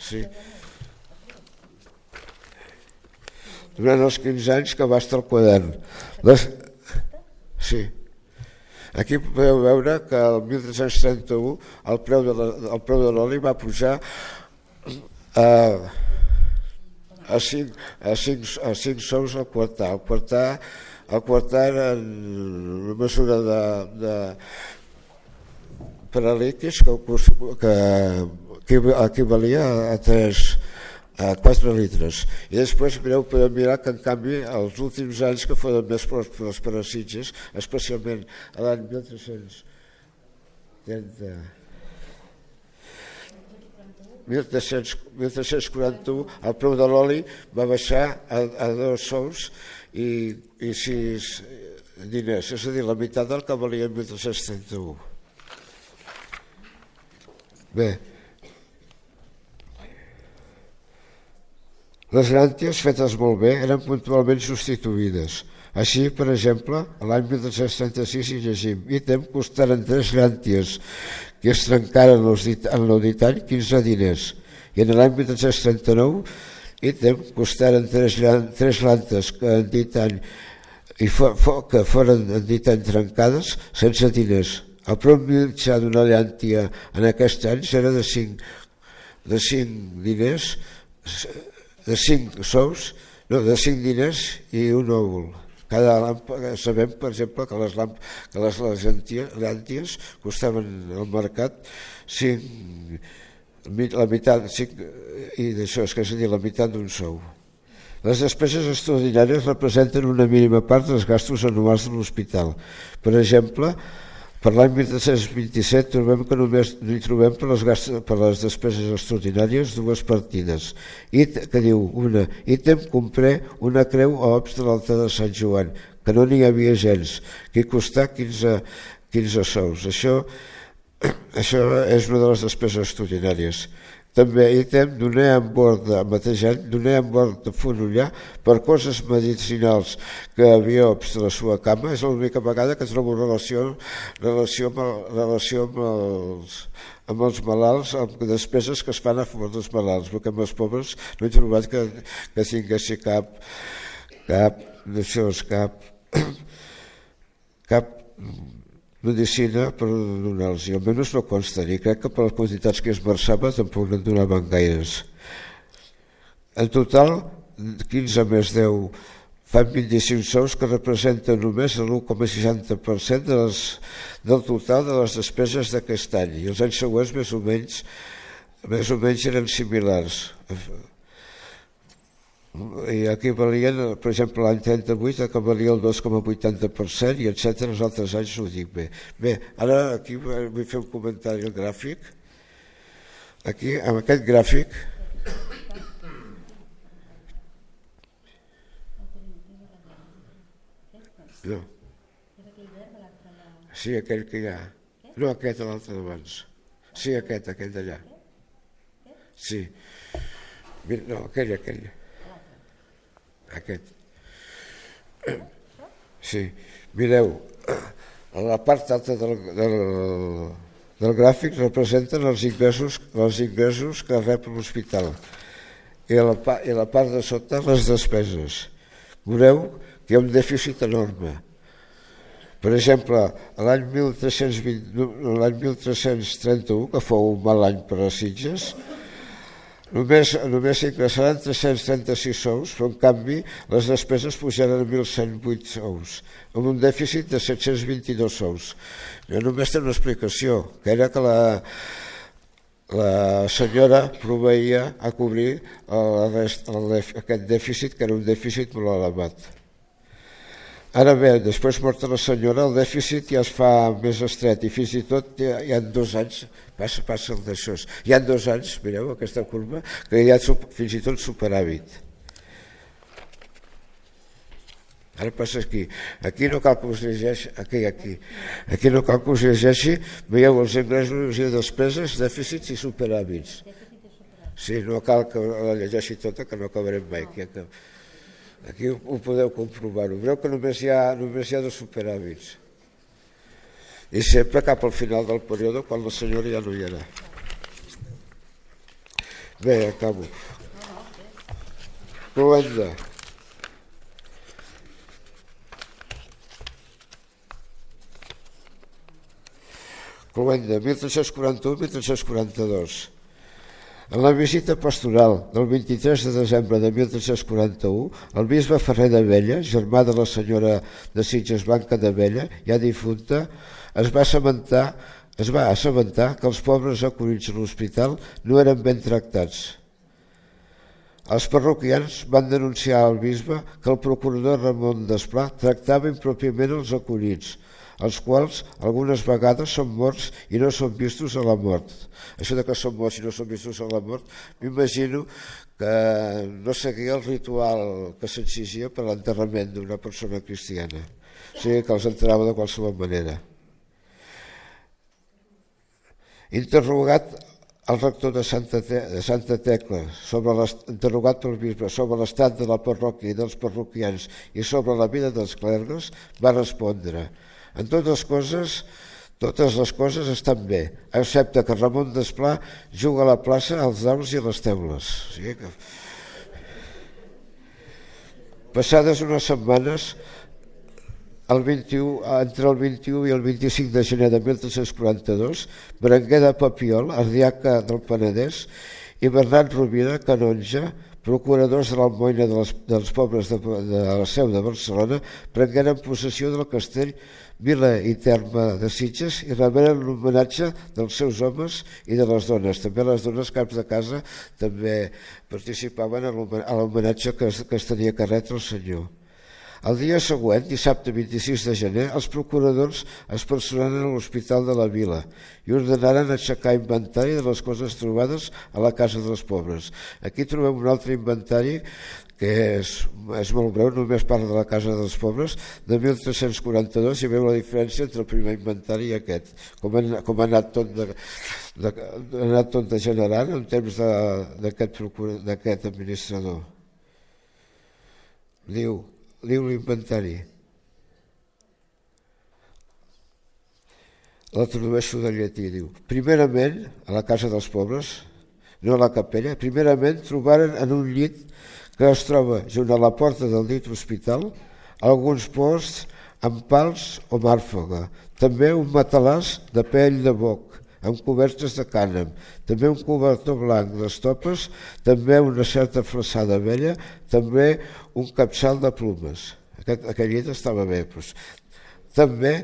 Sí. Durant els quinze anys que va estar el quadern. Les... Sí. Aquí podeu veure que el mil tres-cents trenta-u el preu de la, el preu de l'oli va pujar a, a, cinc, a, cinc, a cinc sous al quartar. Al quartar El quartar en una mesura de, de per a líquids que, que, que equivalia a, tres, a quatre litres. I després mireu, podeu mirar que en canvi els últims anys que foren més pròspers per a Sitges, especialment a l'any mil tres-cents trenta mil tres-cents quaranta-u el preu de l'oli va baixar a, a dos sous i, i sis diners, és a dir, la meitat del que valia en mil tres-cents trenta-u. Bé, les llànties fetes molt bé eren puntualment substituïdes. Així, per exemple, l'any mil tres-cents trenta-sis hi llegim: ítem costaren tres llànties que es trencaren en l'auditari quinze diners i en l'any mil tres-cents trenta-nou ítem costaren tres, tres lantes que en dit any i for, for, que foren en dit any trencades sense diners. El preu mitjà d'una llàntia en aquests anys era de cinc, de cinc diners, de cinc sous, no, de cinc diners i un òvul. Cada làmpada, sabem, per exemple, que les, làmp, que les, les llànties costaven al mercat cinc, la meitat, cinc, i d'això és que és a dir, la meitat d'un sou. Les despeses extraordinàries representen una mínima part dels gastos anuals de l'hospital. Per exemple, per l'any mil tres-cents vint-i-set trobem que només hi trobem per les, gastos, per les despeses extraordinàries dues partides. It, que diu una, ítem compré una creu a Ops de l'altar de Sant Joan, que no n'hi havia gens, que hi costà quinze, quinze sous. Això, això és una de les despeses extraordinàries. També ítem donar en bord de mateix any, donar en bord de Fonollar per coses medicinals que havia Ops de la seva cama. És l'única vegada que trobo relació, relació, amb, el, relació amb, els, amb els malalts, amb despeses que es fan a favor dels malalts, perquè amb els pobres no he trobat que, que tinguessi cap, cap, d'això, cap, cap medicina per donar-los, i almenys no consta, i crec que per les quantitats que es versava tampoc no en donaven gaires. En total, quinze més deu fan vint-i-cinc sous, que representen només l'u coma seixanta per cent de les, del total de les despeses d'aquest any, i els anys següents més o menys, més o menys eren similars. I aquí valien, per exemple, l'any trenta-vuit que valia el dos coma vuitanta per cent i etcètera. Els altres anys ho dic bé. Bé, ara aquí vull fer un comentari al gràfic. Aquí, amb aquest gràfic, no. Sí, aquell que hi ha. No, aquest, l'altre d'abans. Sí, aquest, aquell d'allà. Sí. No, aquell, aquell. Aquest. Sí, mireu, a la part alta del, del, del gràfic representen els ingressos, els ingressos que rep l'hospital i a, la, i a la part de sota les despeses. Veureu que hi ha un dèficit enorme. Per exemple, l'any mil tres-cents vint, l'any mil tres-cents trenta-u, que fou un mal any per a Sitges, Només, només s'ingressaran tres-cents trenta-sis sous, però en canvi les despeses pujaran a mil cent vuit sous, amb un dèficit de set-cents vint-i-dos sous. Jo només té una explicació, que era que la, la senyora proveïa a cobrir el rest, el, aquest dèficit, que era un dèficit molt elevat. Ara bé, després morta la senyora, el dèficit ja es fa més estret i fins i tot hi ha, hi ha dos anys, passa, passa el d'això, hi ha dos anys, mireu aquesta curva, que hi ha fins i tot superàvit. Ara passa aquí, aquí no cal que us llegeixi, aquí, aquí, aquí no cal que us llegeixi, veieu els ingressos i despeses, dèficits i superàvits. Sí, no cal que la llegeixi tota, que no acabarem mai, aquí que... Aquí ho podeu comprovar-ho. Veureu que només hi ha, només hi ha dos superàvits. I sempre cap al final del període, quan la senyora ja no hi era. Bé, acabo. Cloenda. Cloenda, mil tres-cents quaranta-u a mil tres-cents quaranta-dos. En la visita pastoral del vint-i-tres de desembre de mil tres-cents quaranta-u, el bisbe Ferrer d'Abella, germà de la senyora de Sitges Blanca d'Abella, ja difunta, es va assabentar, es va assabentar que els pobres acudits a l'hospital no eren ben tractats. Els parroquians van denunciar al bisbe que el procurador Ramon Desplà tractava impròpiament els acudits, els quals algunes vegades són morts i no són vistos a la mort. Això de que són morts i no són vistos a la mort, m'imagino que no seguia el ritual que s'exigia per l'enterrament d'una persona cristiana. O sigui que els enterrava de qualsevol manera. Interrogat el rector de Santa, Te de Santa Tecla, sobre interrogat pel bisbe sobre l'estat de la parròquia i dels parroquians i sobre la vida dels clergues, va respondre: en totes coses Totes les coses estan bé, excepte que Ramon Desplà juga a la plaça als daus i les teules. O sigui que... Passades unes setmanes, el vint-i-u, entre el vint-i-u i el vint-i-cinc de gener de mil tres-cents quaranta-dos, Berenguer de Papiol, ardiaca del Penedès, i Bernat Rovira, canonge, procuradors de l'almoina dels, dels pobres de, de la Seu de Barcelona, prengueren possessió del castell, vila i terme de Sitges i reberen l'homenatge dels seus homes i de les dones. També les dones caps de casa també participaven a l'homenatge que, que es tenia que retre el senyor. El dia següent, dissabte vint-i-sis de gener, els procuradors es personaren a l'Hospital de la Vila i ordenaren aixecar inventari de les coses trobades a la Casa dels Pobres. Aquí trobem un altre inventari que és, és molt breu, només parla de la Casa dels Pobres, de mil tres-cents quaranta-dos, i veu la diferència entre el primer inventari i aquest, com ha, com ha anat tot de, de, ha anat tot degenerant en temps d'aquest administrador. Diu, diu l'inventari. La tradueixo del llatí, diu. Primerament, a la Casa dels Pobres, no a la capella, primerament trobaren en un llit que es troba junt a la porta del dit hospital alguns posts amb pals o màrfaga, també un matalàs de pell de boc, amb cobertes de cànem, també un cobertor blanc d'estopes, també una certa flaçada vella, també un capçal de plumes. Aquest, aquest llit estava bé. Doncs. També,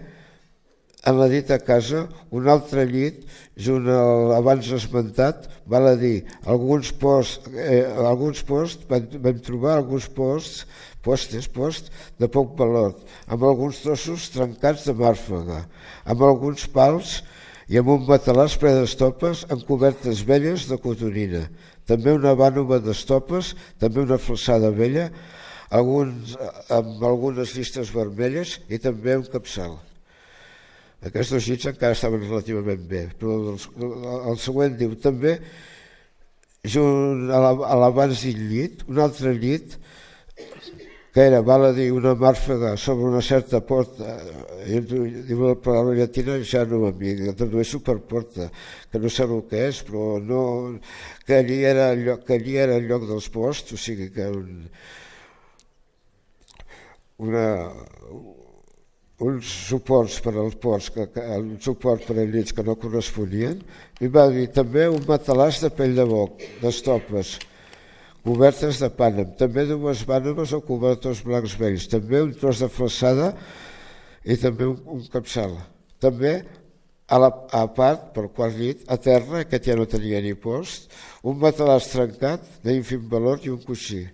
en la dita casa, un altre llit, junt al abans esmentat, val a dir, alguns posts, eh, alguns posts vam, vam trobar alguns posts, postes, post, de poc valor, amb alguns trossos trencats de màrfaga, amb alguns pals i amb un matalàs ple d'estopes amb cobertes velles de cotonina, també una vànova d'estopes, també una flaçada vella, alguns, amb algunes llistes vermelles i també un capçal. Aquests dos llits encara estaven relativament bé, però el, el següent diu també, junt a l'abans del llit, un altre llit, que era, val a dir, una màrfaga sobre una certa porta, diu la paraula llatina, ja no m'amiga, la tradueixo per porta, que no sé el que és, però no, que allí era el lloc, que allí era el lloc dels posts, o sigui que un, una, uns suports per als ports, que, que, un suport per als llits que no corresponien, i va dir també un matalàs de pell de boc, d'estopes, cobertes de pànem, també dues vànoves o cobertors blancs vells, també un tros de flaçada i també un, un capçal. També, a, la, a part, per quart llit, a terra, aquest ja no tenia ni post, un matalàs trencat d'ínfim valor i un coixí.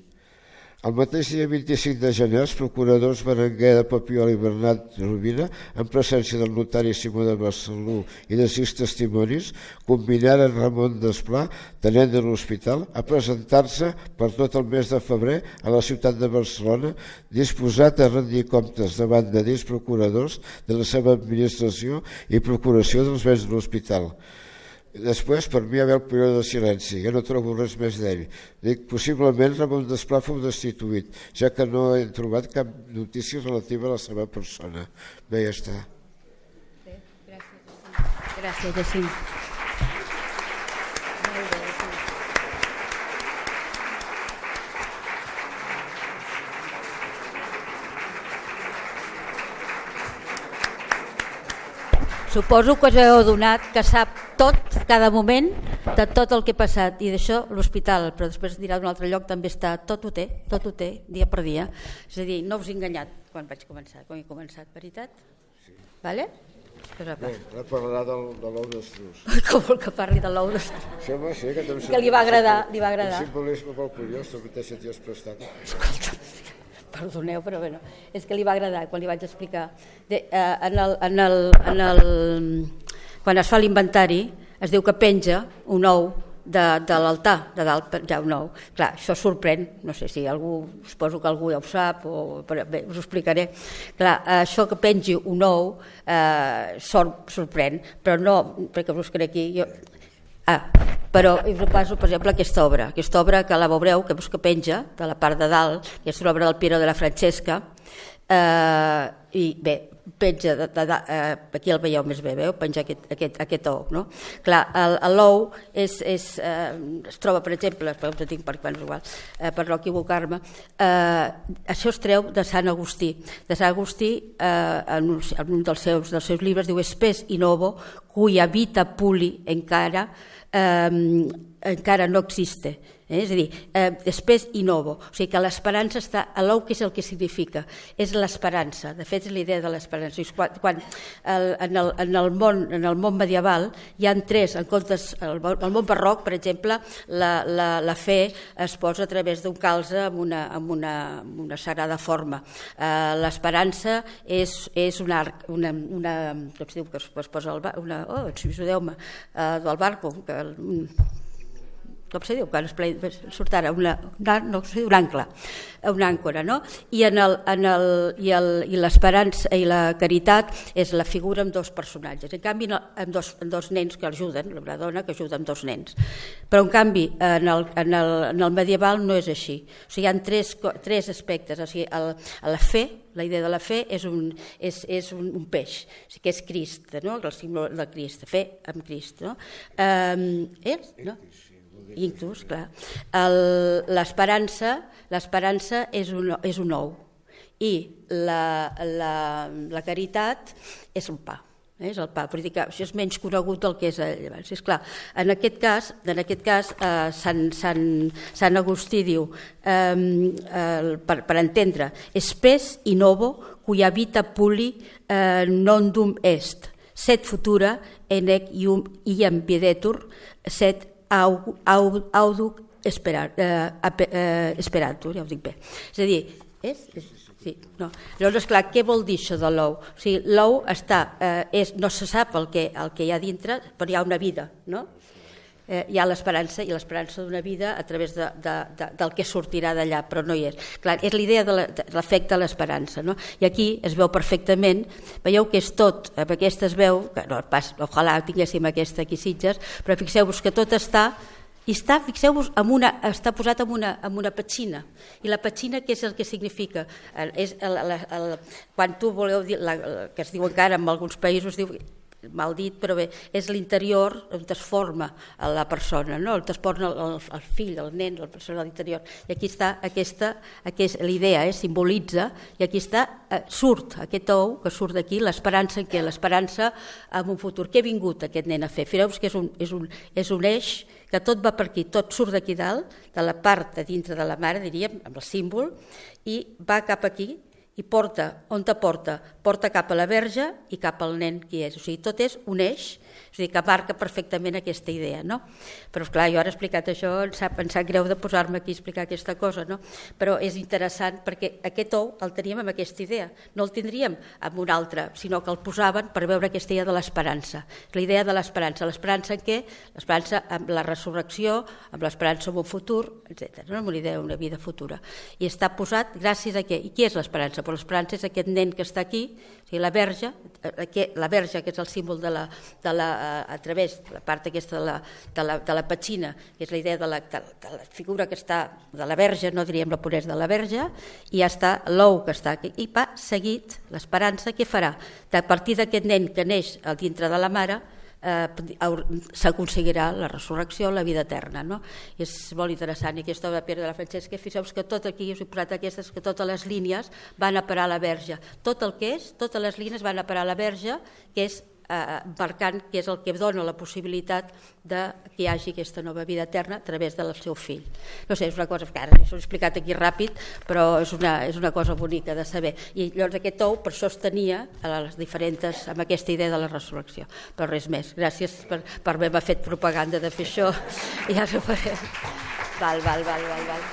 El mateix dia vint-i-cinc de gener, els procuradors Berenguer de Papiol i Bernat Rovira, en presència del notari Simó de Barceló i de sis testimonis, combinaren Ramon Desplà, tenent de l'hospital, a presentar-se per tot el mes de febrer a la ciutat de Barcelona, disposat a rendir comptes davant de dits procuradors de la seva administració i procuració dels béns de l'hospital. Després, per mi, hi havia el període de silenci, ja no trobo res més d'ell. Dic, possiblement Ramon Desplà fou destituït, ja que no he trobat cap notícia relativa a la seva persona. Bé, ja està. Bé, gràcies, gràcies, Jacint. Suposo que us heu adonat que sap tot, cada moment, de tot el que ha passat, i d'això l'hospital, però després dirà d'un altre lloc, també està, tot ho té, tot ho té, dia per dia. És a dir, no us he enganyat quan vaig començar, quan he començat, veritat? Sí. Vale? Bé, ara parlarà del, de l'ou d'estruç. Com vol que parli de l'ou d'estruç? Sí, home, sí, que, que li va agradar, li va agradar. Un simbolisme molt curiós, tu mateix t'hi has prestat. Escolta, perdoneu, però bueno, és que li va agradar quan li vaig explicar. De, eh, en el, en el, en el, quan es fa l'inventari es diu que penja un ou de, de l'altar, de dalt ja un ou. Clar, això sorprèn, no sé si algú, suposo que algú ja ho sap, o, però bé, us ho explicaré. Clar, això que pengi un ou eh, sor, sorprèn, però no, perquè us buscaré aquí, jo... Ah, però us passo, per exemple, aquesta obra, aquesta obra que la veureu, que que penja de la part de dalt, que és l'obra del Piero de la Francesca, eh, i bé, penja, de, de, de, aquí el veieu més bé, veu? Penja aquest, aquest, aquest ou. No? Clar, l'ou és, és, eh, es troba, per exemple, ho tinc per, bueno, igual, eh, per no equivocar-me, eh, això es treu de Sant Agustí. De Sant Agustí, eh, en, un, en un dels seus, dels seus llibres, diu «Spes in ovo, cuya vita puli encara, eh, encara no existe». Eh? És a dir, eh, després i novo, o sigui que l'esperança està a l'ou, que és el que significa, és l'esperança, de fet és l'idea de l'esperança. Quan, quan el, en, el, en, el món, en el món medieval hi ha tres, en comptes, el, el món barroc, per exemple, la, la, la fe es posa a través d'un calze amb una, amb una, amb una sagrada forma. Eh, l'esperança és, és un arc, una, una, com es diu, que es, es posa al bar, una, oh, ajudeu-me, eh, del barco, que un, com se diu, quan es ple... surt ara una, una, no, un àncora, una àncora, no? I, en el, en el, i, el, i l'esperança i la caritat és la figura amb dos personatges, en canvi amb dos, amb dos nens que ajuden, una dona que ajuda amb dos nens. Però en canvi en el, en el, en el medieval no és així, o sigui, hi ha tres, tres aspectes, o sigui, el, la fe, la idea de la fe és un, és, és un, un peix, o sigui, que és Crist, no? El símbol de Crist, fe amb Crist. No? Um, és? No? Inclús, clar. L'esperança l'esperança és un, és un ou i la, la, la caritat és el pa. És el pa, però dic que això és menys conegut del que és abans. És clar, en aquest cas, en aquest cas eh, Sant, Sant, Sant Agustí diu, eh, eh, per, per entendre, spes in ovo cuya vita puli eh, non dum est, set futura enec ium iam piedetur, set auduc esperar, eh, eh, esperatur, ja ho dic bé. És a dir, és... Sí, no. Llavors, esclar, què vol dir això de l'ou? O sigui, l'ou està, eh, és, no se sap el que, el que hi ha dintre, però hi ha una vida, no? Eh, hi ha l'esperança, i l'esperança d'una vida a través de, de, de, del que sortirà d'allà, però no hi és. Clar, és l'idea de l'efecte de l'esperança, no? I aquí es veu perfectament, veieu que és tot, amb aquesta es veu, que no, pas, ojalà tinguéssim aquesta aquí Sitges, però fixeu-vos que tot està, i està, fixeu-vos, està posat en una, en una petxina. I la petxina, què és el que significa? És el, el, el, quan tu voleu dir, la, que es diu encara en alguns països, diu, mal dit, però bé, és l'interior on es forma la persona, no? On es forma el, el fill, el nen, la persona de l'interior. I aquí està aquesta, aquesta l'idea, eh, simbolitza, i aquí està, eh, surt aquest ou que surt d'aquí, l'esperança en què? L'esperança en un futur. Què ha vingut aquest nen a fer? Fireu-vos que és un, és, un, és un eix que tot va per aquí, tot surt d'aquí dalt, de la part de dintre de la mare, diríem, amb el símbol, i va cap aquí, i porta, on te porta? Porta cap a la verge i cap al nen qui és. O sigui, tot és un eix, o sigui, que marca perfectament aquesta idea, no? Però, esclar, jo ara he explicat això, em sap, em sap greu de posar-me aquí a explicar aquesta cosa, no? Però és interessant perquè aquest ou el teníem amb aquesta idea, no el tindríem amb un altre, sinó que el posaven per veure aquesta idea de l'esperança. La idea de l'esperança, l'esperança en què? L'esperança amb la resurrecció, amb l'esperança en un futur, etcètera. No? Amb una idea d'una vida futura. I està posat gràcies a què? I qui és l'esperança? Però l'esperança és aquest nen que està aquí, o sigui, la verge, la verge que és el símbol de la, de la, a través de la part aquesta de la, de la, de la petxina, que és la idea de la, de, de la figura que està de la verge, no diríem la puresa de la verge, i ja està l'ou que està aquí, i va seguit l'esperança, què farà? A partir d'aquest nen que neix dintre de la mare, Eh, s'aconseguirà la resurrecció, la vida eterna, no? I és molt interessant, i aquesta obra de Pere de la Francesca, fixeu-vos que tot aquí, us he posat aquestes, que totes les línies van a parar a la verge, tot el que és, totes les línies van a parar a la verge, que és eh, marcant que és el que dona la possibilitat de que hi hagi aquesta nova vida eterna a través del seu fill. No sé, és una cosa que ara us he explicat aquí ràpid, però és una, és una cosa bonica de saber. I llavors aquest ou per això es tenia a les diferents, amb aquesta idea de la resurrecció. Però res més. Gràcies per, per haver-me fet propaganda de fer això. Ja no farem. Val, val, val, val, val.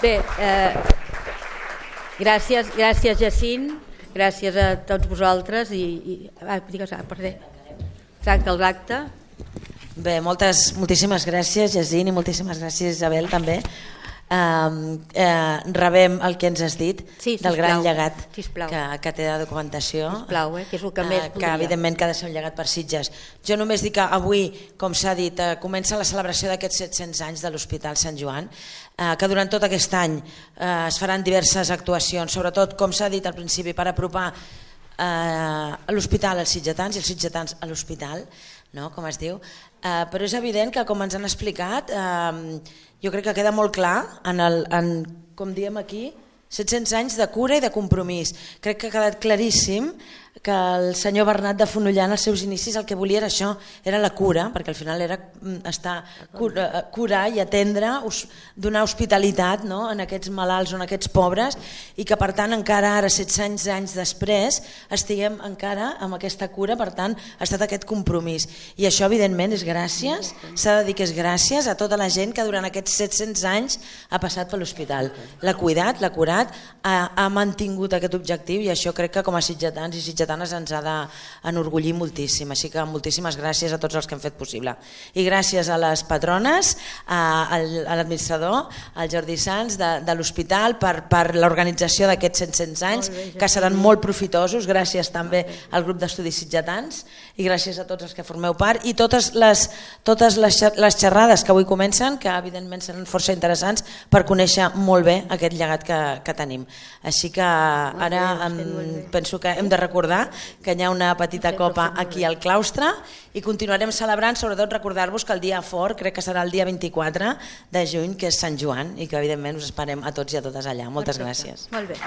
Bé, eh, gràcies, gràcies Jacint, gràcies a tots vosaltres i, i ah, digues, ah, perdó, tanca l'acte. Bé, moltes, moltíssimes gràcies Jacint i moltíssimes gràcies Isabel també. Uh, uh, rebem el que ens has dit, sí, del gran llegat que, que té de documentació, sisplau, eh, que és el que uh, més que evidentment que ha de ser un llegat per Sitges. Jo només dic que avui, com s'ha dit, uh, comença la celebració d'aquests set-cents anys de l'Hospital Sant Joan, uh, que durant tot aquest any uh, es faran diverses actuacions, sobretot, com s'ha dit al principi, per apropar a l'hospital als sitgetans i els sitgetans a l'hospital, no? Com es diu, eh, però és evident que, com ens han explicat, eh, jo crec que queda molt clar, en el, en, com diem aquí, set-cents anys de cura i de compromís. Crec que ha quedat claríssim que el senyor Bernat de Fonollar en els seus inicis el que volia era això, era la cura, perquè al final era estar, curar i atendre, donar hospitalitat, no? En aquests malalts o en aquests pobres, i que per tant encara ara, set-cents anys després, estiguem encara amb aquesta cura, per tant ha estat aquest compromís. I això evidentment és gràcies, s'ha de dir que és gràcies a tota la gent que durant aquests set-cents anys ha passat per l'hospital. L'ha cuidat, l'ha curat, ha, ha mantingut aquest objectiu, i això crec que com a sitgetans i sitgetans ens ha d'enorgullir moltíssim, així que moltíssimes gràcies a tots els que han fet possible. I gràcies a les patrones, a, a l'administrador, al Jordi Sans de, de l'hospital per, per l'organització d'aquests set-cents anys, que seran molt profitosos, gràcies també al grup d'estudis sitgetans i gràcies a tots els que formeu part, i totes les, totes les, les xerrades que avui comencen, que evidentment seran força interessants per conèixer molt bé aquest llegat que, que tenim. Així que ara em, penso que hem de recordar que hi ha una petita copa aquí al claustre i continuarem celebrant, sobretot recordar-vos que el dia fort crec que serà el dia vint-i-quatre de juny, que és Sant Joan, i que evidentment us esperem a tots i a totes allà. Moltes gràcies. Molt bé.